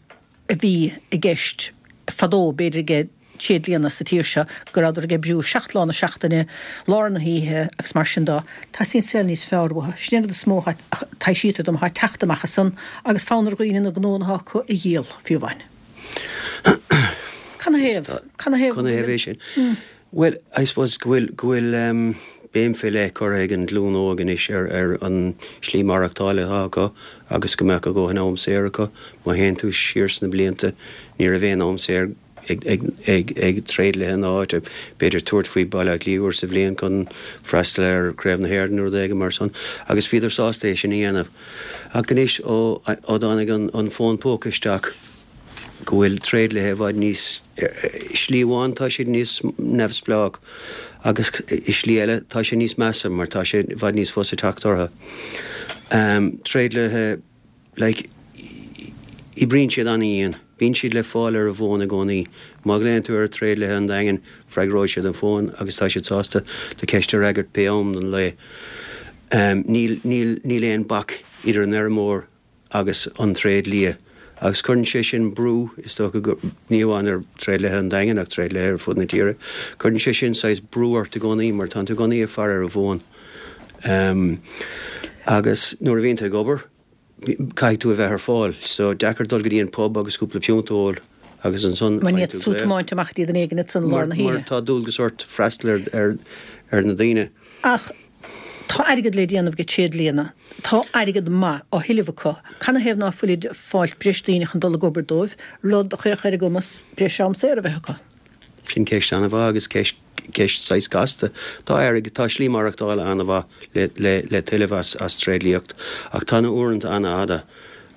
a bhí i gceist fadó, b'fhéidir ag tréidlianna sa tír seo, go rabhadar ag oibriú seacht lá na seachtaine, lár na hoíche agus mar sin de. Teastaíonn saol níos fearr uathu. Sin an rud is mó a taibhsítear dom atá ag teacht amach as san agus fonn ar dhaoine na gnónna atá acu a dhíol, fiú amháin. Canathaobh? Canathaobh?
Canathaobh é sin? Bhuel, I suppose go bhfuil, go bhfuil béim fé leith curtha ag an ghlúin óg anois ar, ar an slí maireachtála atá acu agus go mbeadh a dhóthain am saor acu. Má théann tú siar sna blianta, ní raibh aon am saor ag, ag, ag, ag tréidliaithe na háite, b'fhéidir tabhairt faoi Baile Átha Cliath uair sa bhliain chun freastal ar Craobh na hÉireann nó rud éigin mar san agus bhíodar sásta é sin a dhéanamh. Ach anois ó, ó dtáinig an, an fón póca isteach, go bhfuil tréidliaithe i bhfad níos, i slí amháin tá siad níos neamhspleách agus i slí eile tá sé níos measa mar tá sé i bhfad níos fusa teacht orthu. Tréidliaithe, like, oibríonn siad an-dhian, bíonn siad le fáil ar an bhfón i gcónaí. Má ghlaonn tú ar tréidliaithe an Daingin, freagróidh siad an fón agus tá siad sásta do cheist a fhreagairt pé am den lae. Níl, níl, níl aon bac idir an fheirmeoir agus an tréidlia. Agus cuireann sé sin brú, is dócha, go, ní amháin ar thréidliaithe an Daingin ach tréidliaithe ar fud na tíre, cuireann sé sin saghas brú ort i gcónaí mar tánn tú i gcónaí ag faire ar an bhfón. Agus nuair a bhíonn tú ag obair, caithfidh tú a bheith ar fáil. So, deacair dul go dtí an pub agus cúpla piúnt a ól agus ansan
Mar ní
faigheann tú
fhéadfadh tú
glaoch.
tiomáint amach go dtí duine éigin ansan i lár
Mar,
na
mar
hoíche.
tá dualgas ort freastal ar, ar, ar na daoine.
Ach tá airgead le déanamh ag tréidlianna. Tá airgead maith á thuilleamh acu. Canathaobh ná fuilid ag fáilt breis daoine chun dul ag obair dóibh, rud a chuirfeadh ar a gcumas breis am saor a bheith acu?
Sin ceist an-mhaith agus ceist, ceist saghas casta. Tá airgead, tá slí maireachtála an-mhaith le, le, le tuilleamh as, as tréidliacht ach tá na uaireanta an-fhada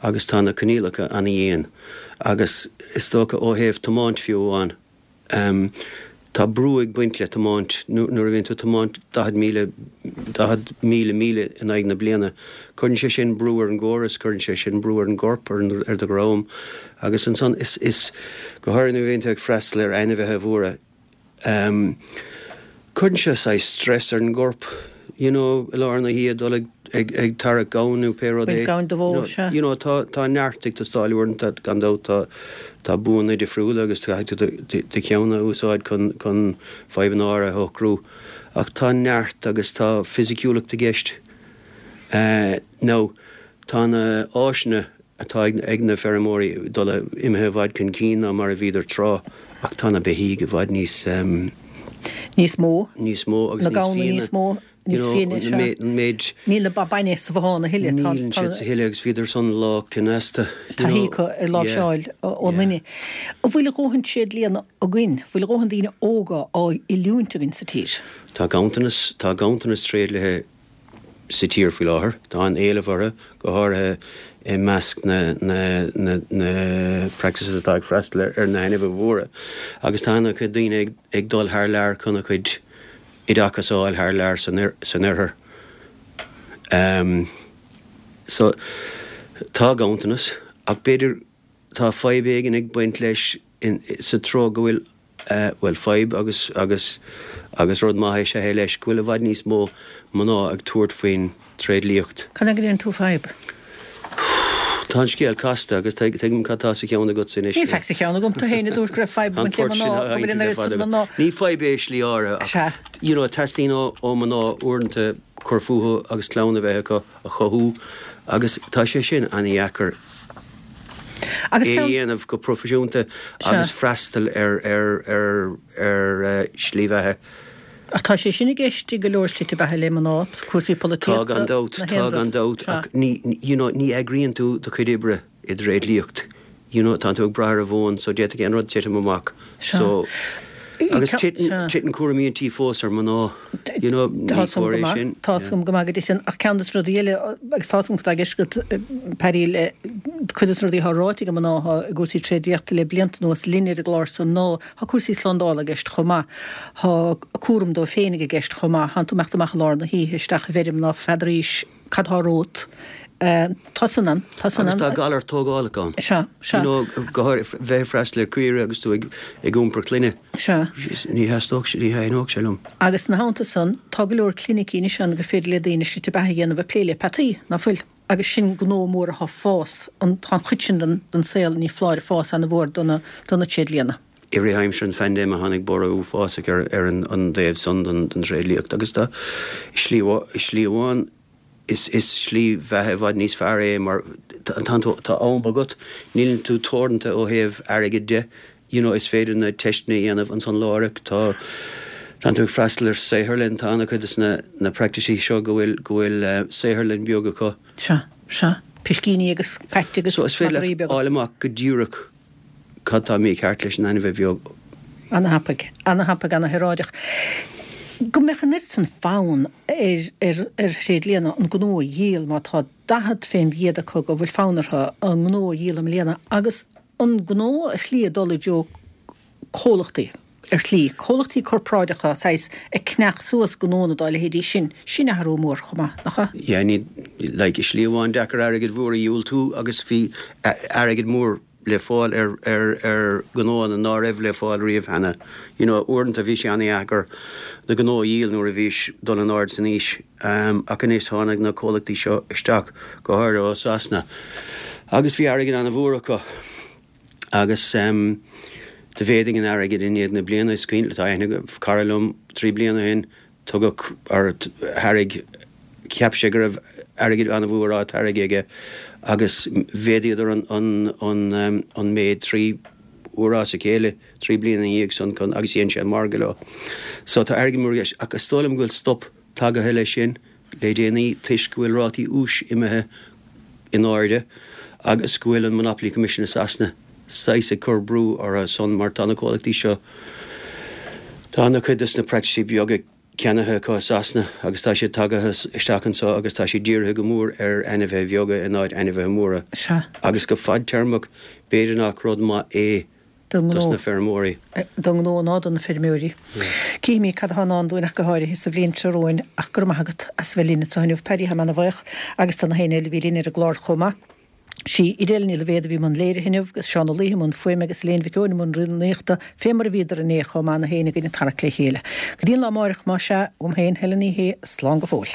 agus tá na coinníollacha an-dhian agus is dócha ó thaobh tiomáint fiú amháin, Tá brú ag baint le tiomáint. Nuair a bhíonn tú ag tiomáint daichead míle, daichead míle míle in aghaidh na bliana, cuireann sé sin brú ar an gcóras, cuireann sé sin brú ar an gcorp, ar ar do dhroim agus ansan is, is, go háirithe nuair a bhíonn tú ag freastal ar ainmhithe mhóra, Cuireann sé saghas stress ar an gcorp, you know, i lár na hoíche dul ag, ag, ag tarrac gamhain nó pé rud
Baint
é.
gamhain do bhó, sea.
You know, tá, tá neart ag teastáil uaireanta, gan dabht, tá, tá buanna difriúla agus caithfidh tú do, do, do cheann a úsáid chun, chun fadhbanna áirithe a shocrú. Ach tá neart agus tá fisiciúlacht i gceist. Eh, now, tá na áiseanna atá ag na feirmeoirí dul imithe i bhfad chun cinn ná mar a bhíodar tráth ach tá na beithígh i bhfad níos
níos mó,
níos mó agus
na
níos
gamhna
fiaine
níos mó, níos fiaine, sea.
an méid
Níl na ba bainne sa bhothán a thuilleadh, tá
Níl siad sa thuilleadh agus bhíodar san lá cneasta, you
taithí
know,
acu ar
yeah,
láimhseáil ón
yeah.
nduine. An bhfuil a dhóthain tréidlianna againn? Bhfuil a dhóthain daoine óga á oiliúint againn sa tír?
Tá ganntanas, tá ganntanas tréidliaithe sa tír faoi láthair. Tá an-éileamh orthu, go háirithe i measc na na practices atá ag freastal ar na hainmhithe mhóra, agus tá an-chuid daoine ag dul thar lear chun a gcuid oideachas a fháil thar lear san oirthear. So, tá ganntanas, ach b'fhéidir tá fadhb éigin ag baint leis sa treo go bhfuil bhuel, fadhb agus, agus, agus rud maith is ea é leis, go bhfuil i bhfad níos mó mná ag tabhairt faoin tréidliacht.
Cad é go ndeireann tú fadhb?
Tá an scéal casta agus tuigim cad tá sa cheann agatsa anois.
Níl faic sa cheann agam, tú féin a dúirt go raibh fadhb ag
An
baint le
port sin
mná,
a
go bhfuil an
le
oiread
fada
san
agam.
mná.
Ní fadhb é i slí áirithe ach,
Sea.
you know, teastaíonn ó, ó mná uaireanta cur fúthu agus clann a bheith acu a chothú agus tá sé sin an-dheacair.
Agus
é a
ceann.
dhéanamh go proifisiúnta
Sea.
agus freastal ar ar ar ar shlí bheatha.
Ach tá sé sin i gceist i go leor slite beatha le mná, cúrsaí
Tá
polaitíochta,
gan dabht,
na
tá
haon
gan
rud.
dabht,
Sea.
ach ní, you know, ní eagraíonn tú do chuid oibre i dtréidliacht. You know, tánn tú ag brath ar an bhfón so d'fhéadfadh aon rud titim amach.
Sea.
So. Agus titeann cúraimí an tí fós ar mná, you know, ní cóir é sin.
Tá 's agam go maith go dtí sin, ach ceann de na rudaí eile, agus tá 's agam cad tá i gceist agat, Paddy, le cuid de na rudaí atá ráite ag mná atá i gcúrsaí tréidliachta le blianta anuas linn ar an gclár so ná tá cúrsaí slándála i gceist chomh maith, tá cúram dóibh féinig i gceist chomh maith, thánn tú imeacht amach i lár na hoíche isteach i bhfeirm ná feadaraís cad tá romhat. Tá san ann, tá san
Agus
ann.
tá galar tógálach ann.
Sea, sea.
You know, go háirithe bheith ag freastal ar caoire agus tú ag ag iompar clainne.
Sea.
Ní theastódh sé, ní thaitneodh sé liom.
Agus ina theannta san, tá go leor clinicí anois ann gur féidir le daoine slite beatha a dhéanamh ag plé le peataí, ná fuil? Agus sin gnó mór atá ag fás, an, tá an chuid sin den, den saol, ní foláir, ag fás ana-mhór do na, do na tréidlianna.
I rith aimsir an phaindéime tháinig borradh uafásach ar ar an an dtaobh san den den tréidliacht agus tá, i slí, i slí amháin, Is is slí bheatha i bhfad níos fearr é mar tá tú tá am agat, níleann tú teoranta ó thaobh airgid de, you know is féidir na teisteanna a dhéanamh ansan láithreach, tá tánn tú ag freastal ar saotharlann, tá an-chuid de na na practices seo go bhfuil go bhfuil saotharlann beag acu.
Sea, sea, piscíní agus cait agus
So is féidir
madraí
leat
beaga.
fháil amach go díreach cad tá mícheart leis an ainmhí bheag.
Ana-thapaidh, ana-thapaidh, ana-shaoráideach. Go mbeadh an oiread san fonn ar ar ar thréidlianna an gnó a dhíol má tá daichead fén gcéad acu go bhfuil fonn orthu a ngnó a dhíol i mbliana agus an gnó ar shlí ag dul i dtreo comhlachtaí ar shlí, comhlachtaí corparáideacha saghas ag ceannach suas gnónna dá leithéidí sin, sin athrú mór chomh maith, nach ea?
Yeah, ní, like, i slí amháin deacair airgead mhór a dhiúltú agus bhí airgead mór le fáil ar ar ar gnóanna ná raibh le fáil riamh cheana. You know, uaireanta bhí sé an-dheacair do ghnó a dhíol nuair a bhís dul in airde san aois, ach anois tháinig na comhlachtaí seo isteach, go háirithe ó Sasana, agus bhí airgead an-mhór acu agus do mhéadaigh an airgead i ndiaidh na bliana. Is cuimhin, tá aithne ag cara liom trí bliana ó shin, tugadh or thairg, cheap sé go raibh airgead an-mhór á thairgeadh aige agus mhéadaíodar an an an an méid trí huaire as a chéile trí bliana ina dhiaidh san chun agus dhein sé an margadh leo. So tá airgead mór i gceist ach is dóigh liom go bhfuil stop tagaithe leis sin le déanaí toisc go bhfuil rátaí úis imithe in airde agus go bhfuil an Monopoly Commission i Sasana saghas ag cur brú orthu san mar tá na comhlachtaí seo tá ana-chuid des na practices beaga ceannaithe acu i Sasana agus tá siad tagaithe isteach anseo agus tá siad dírithe go mór ar ainmhithe bheaga in áit ainmhithe móra.
Sea.
Agus go fadtéarmach b'fhéidir nach rud maith é
Don
dos
ngnó.
na feirmeoirí.
Don ngnó ná do na feirmeoirí. Cífimid cad atá i ndán dúinn ach go háirithe sa bhliain seo romhainn ach go raibh maith agat as a bheith linn anseo inniu Paddy, táim ana-bhuíoch agus do na héinne eile a bhí linn ar an gclár chomh maith. Sí Edel Ní Loibhéad a bhí i mbun léirithe inniu, agus Seán Ó Laoithe i mbun fuaime agus Elaine Mhic Eoin i mbun rúnaíochta, fé mar a bhíodar inné chomh maith na héinne againn ag tarrac le chéile. Go dtí an lá amáireach, más ea, uaim féin, Helen Ní Shé, slán go fóill.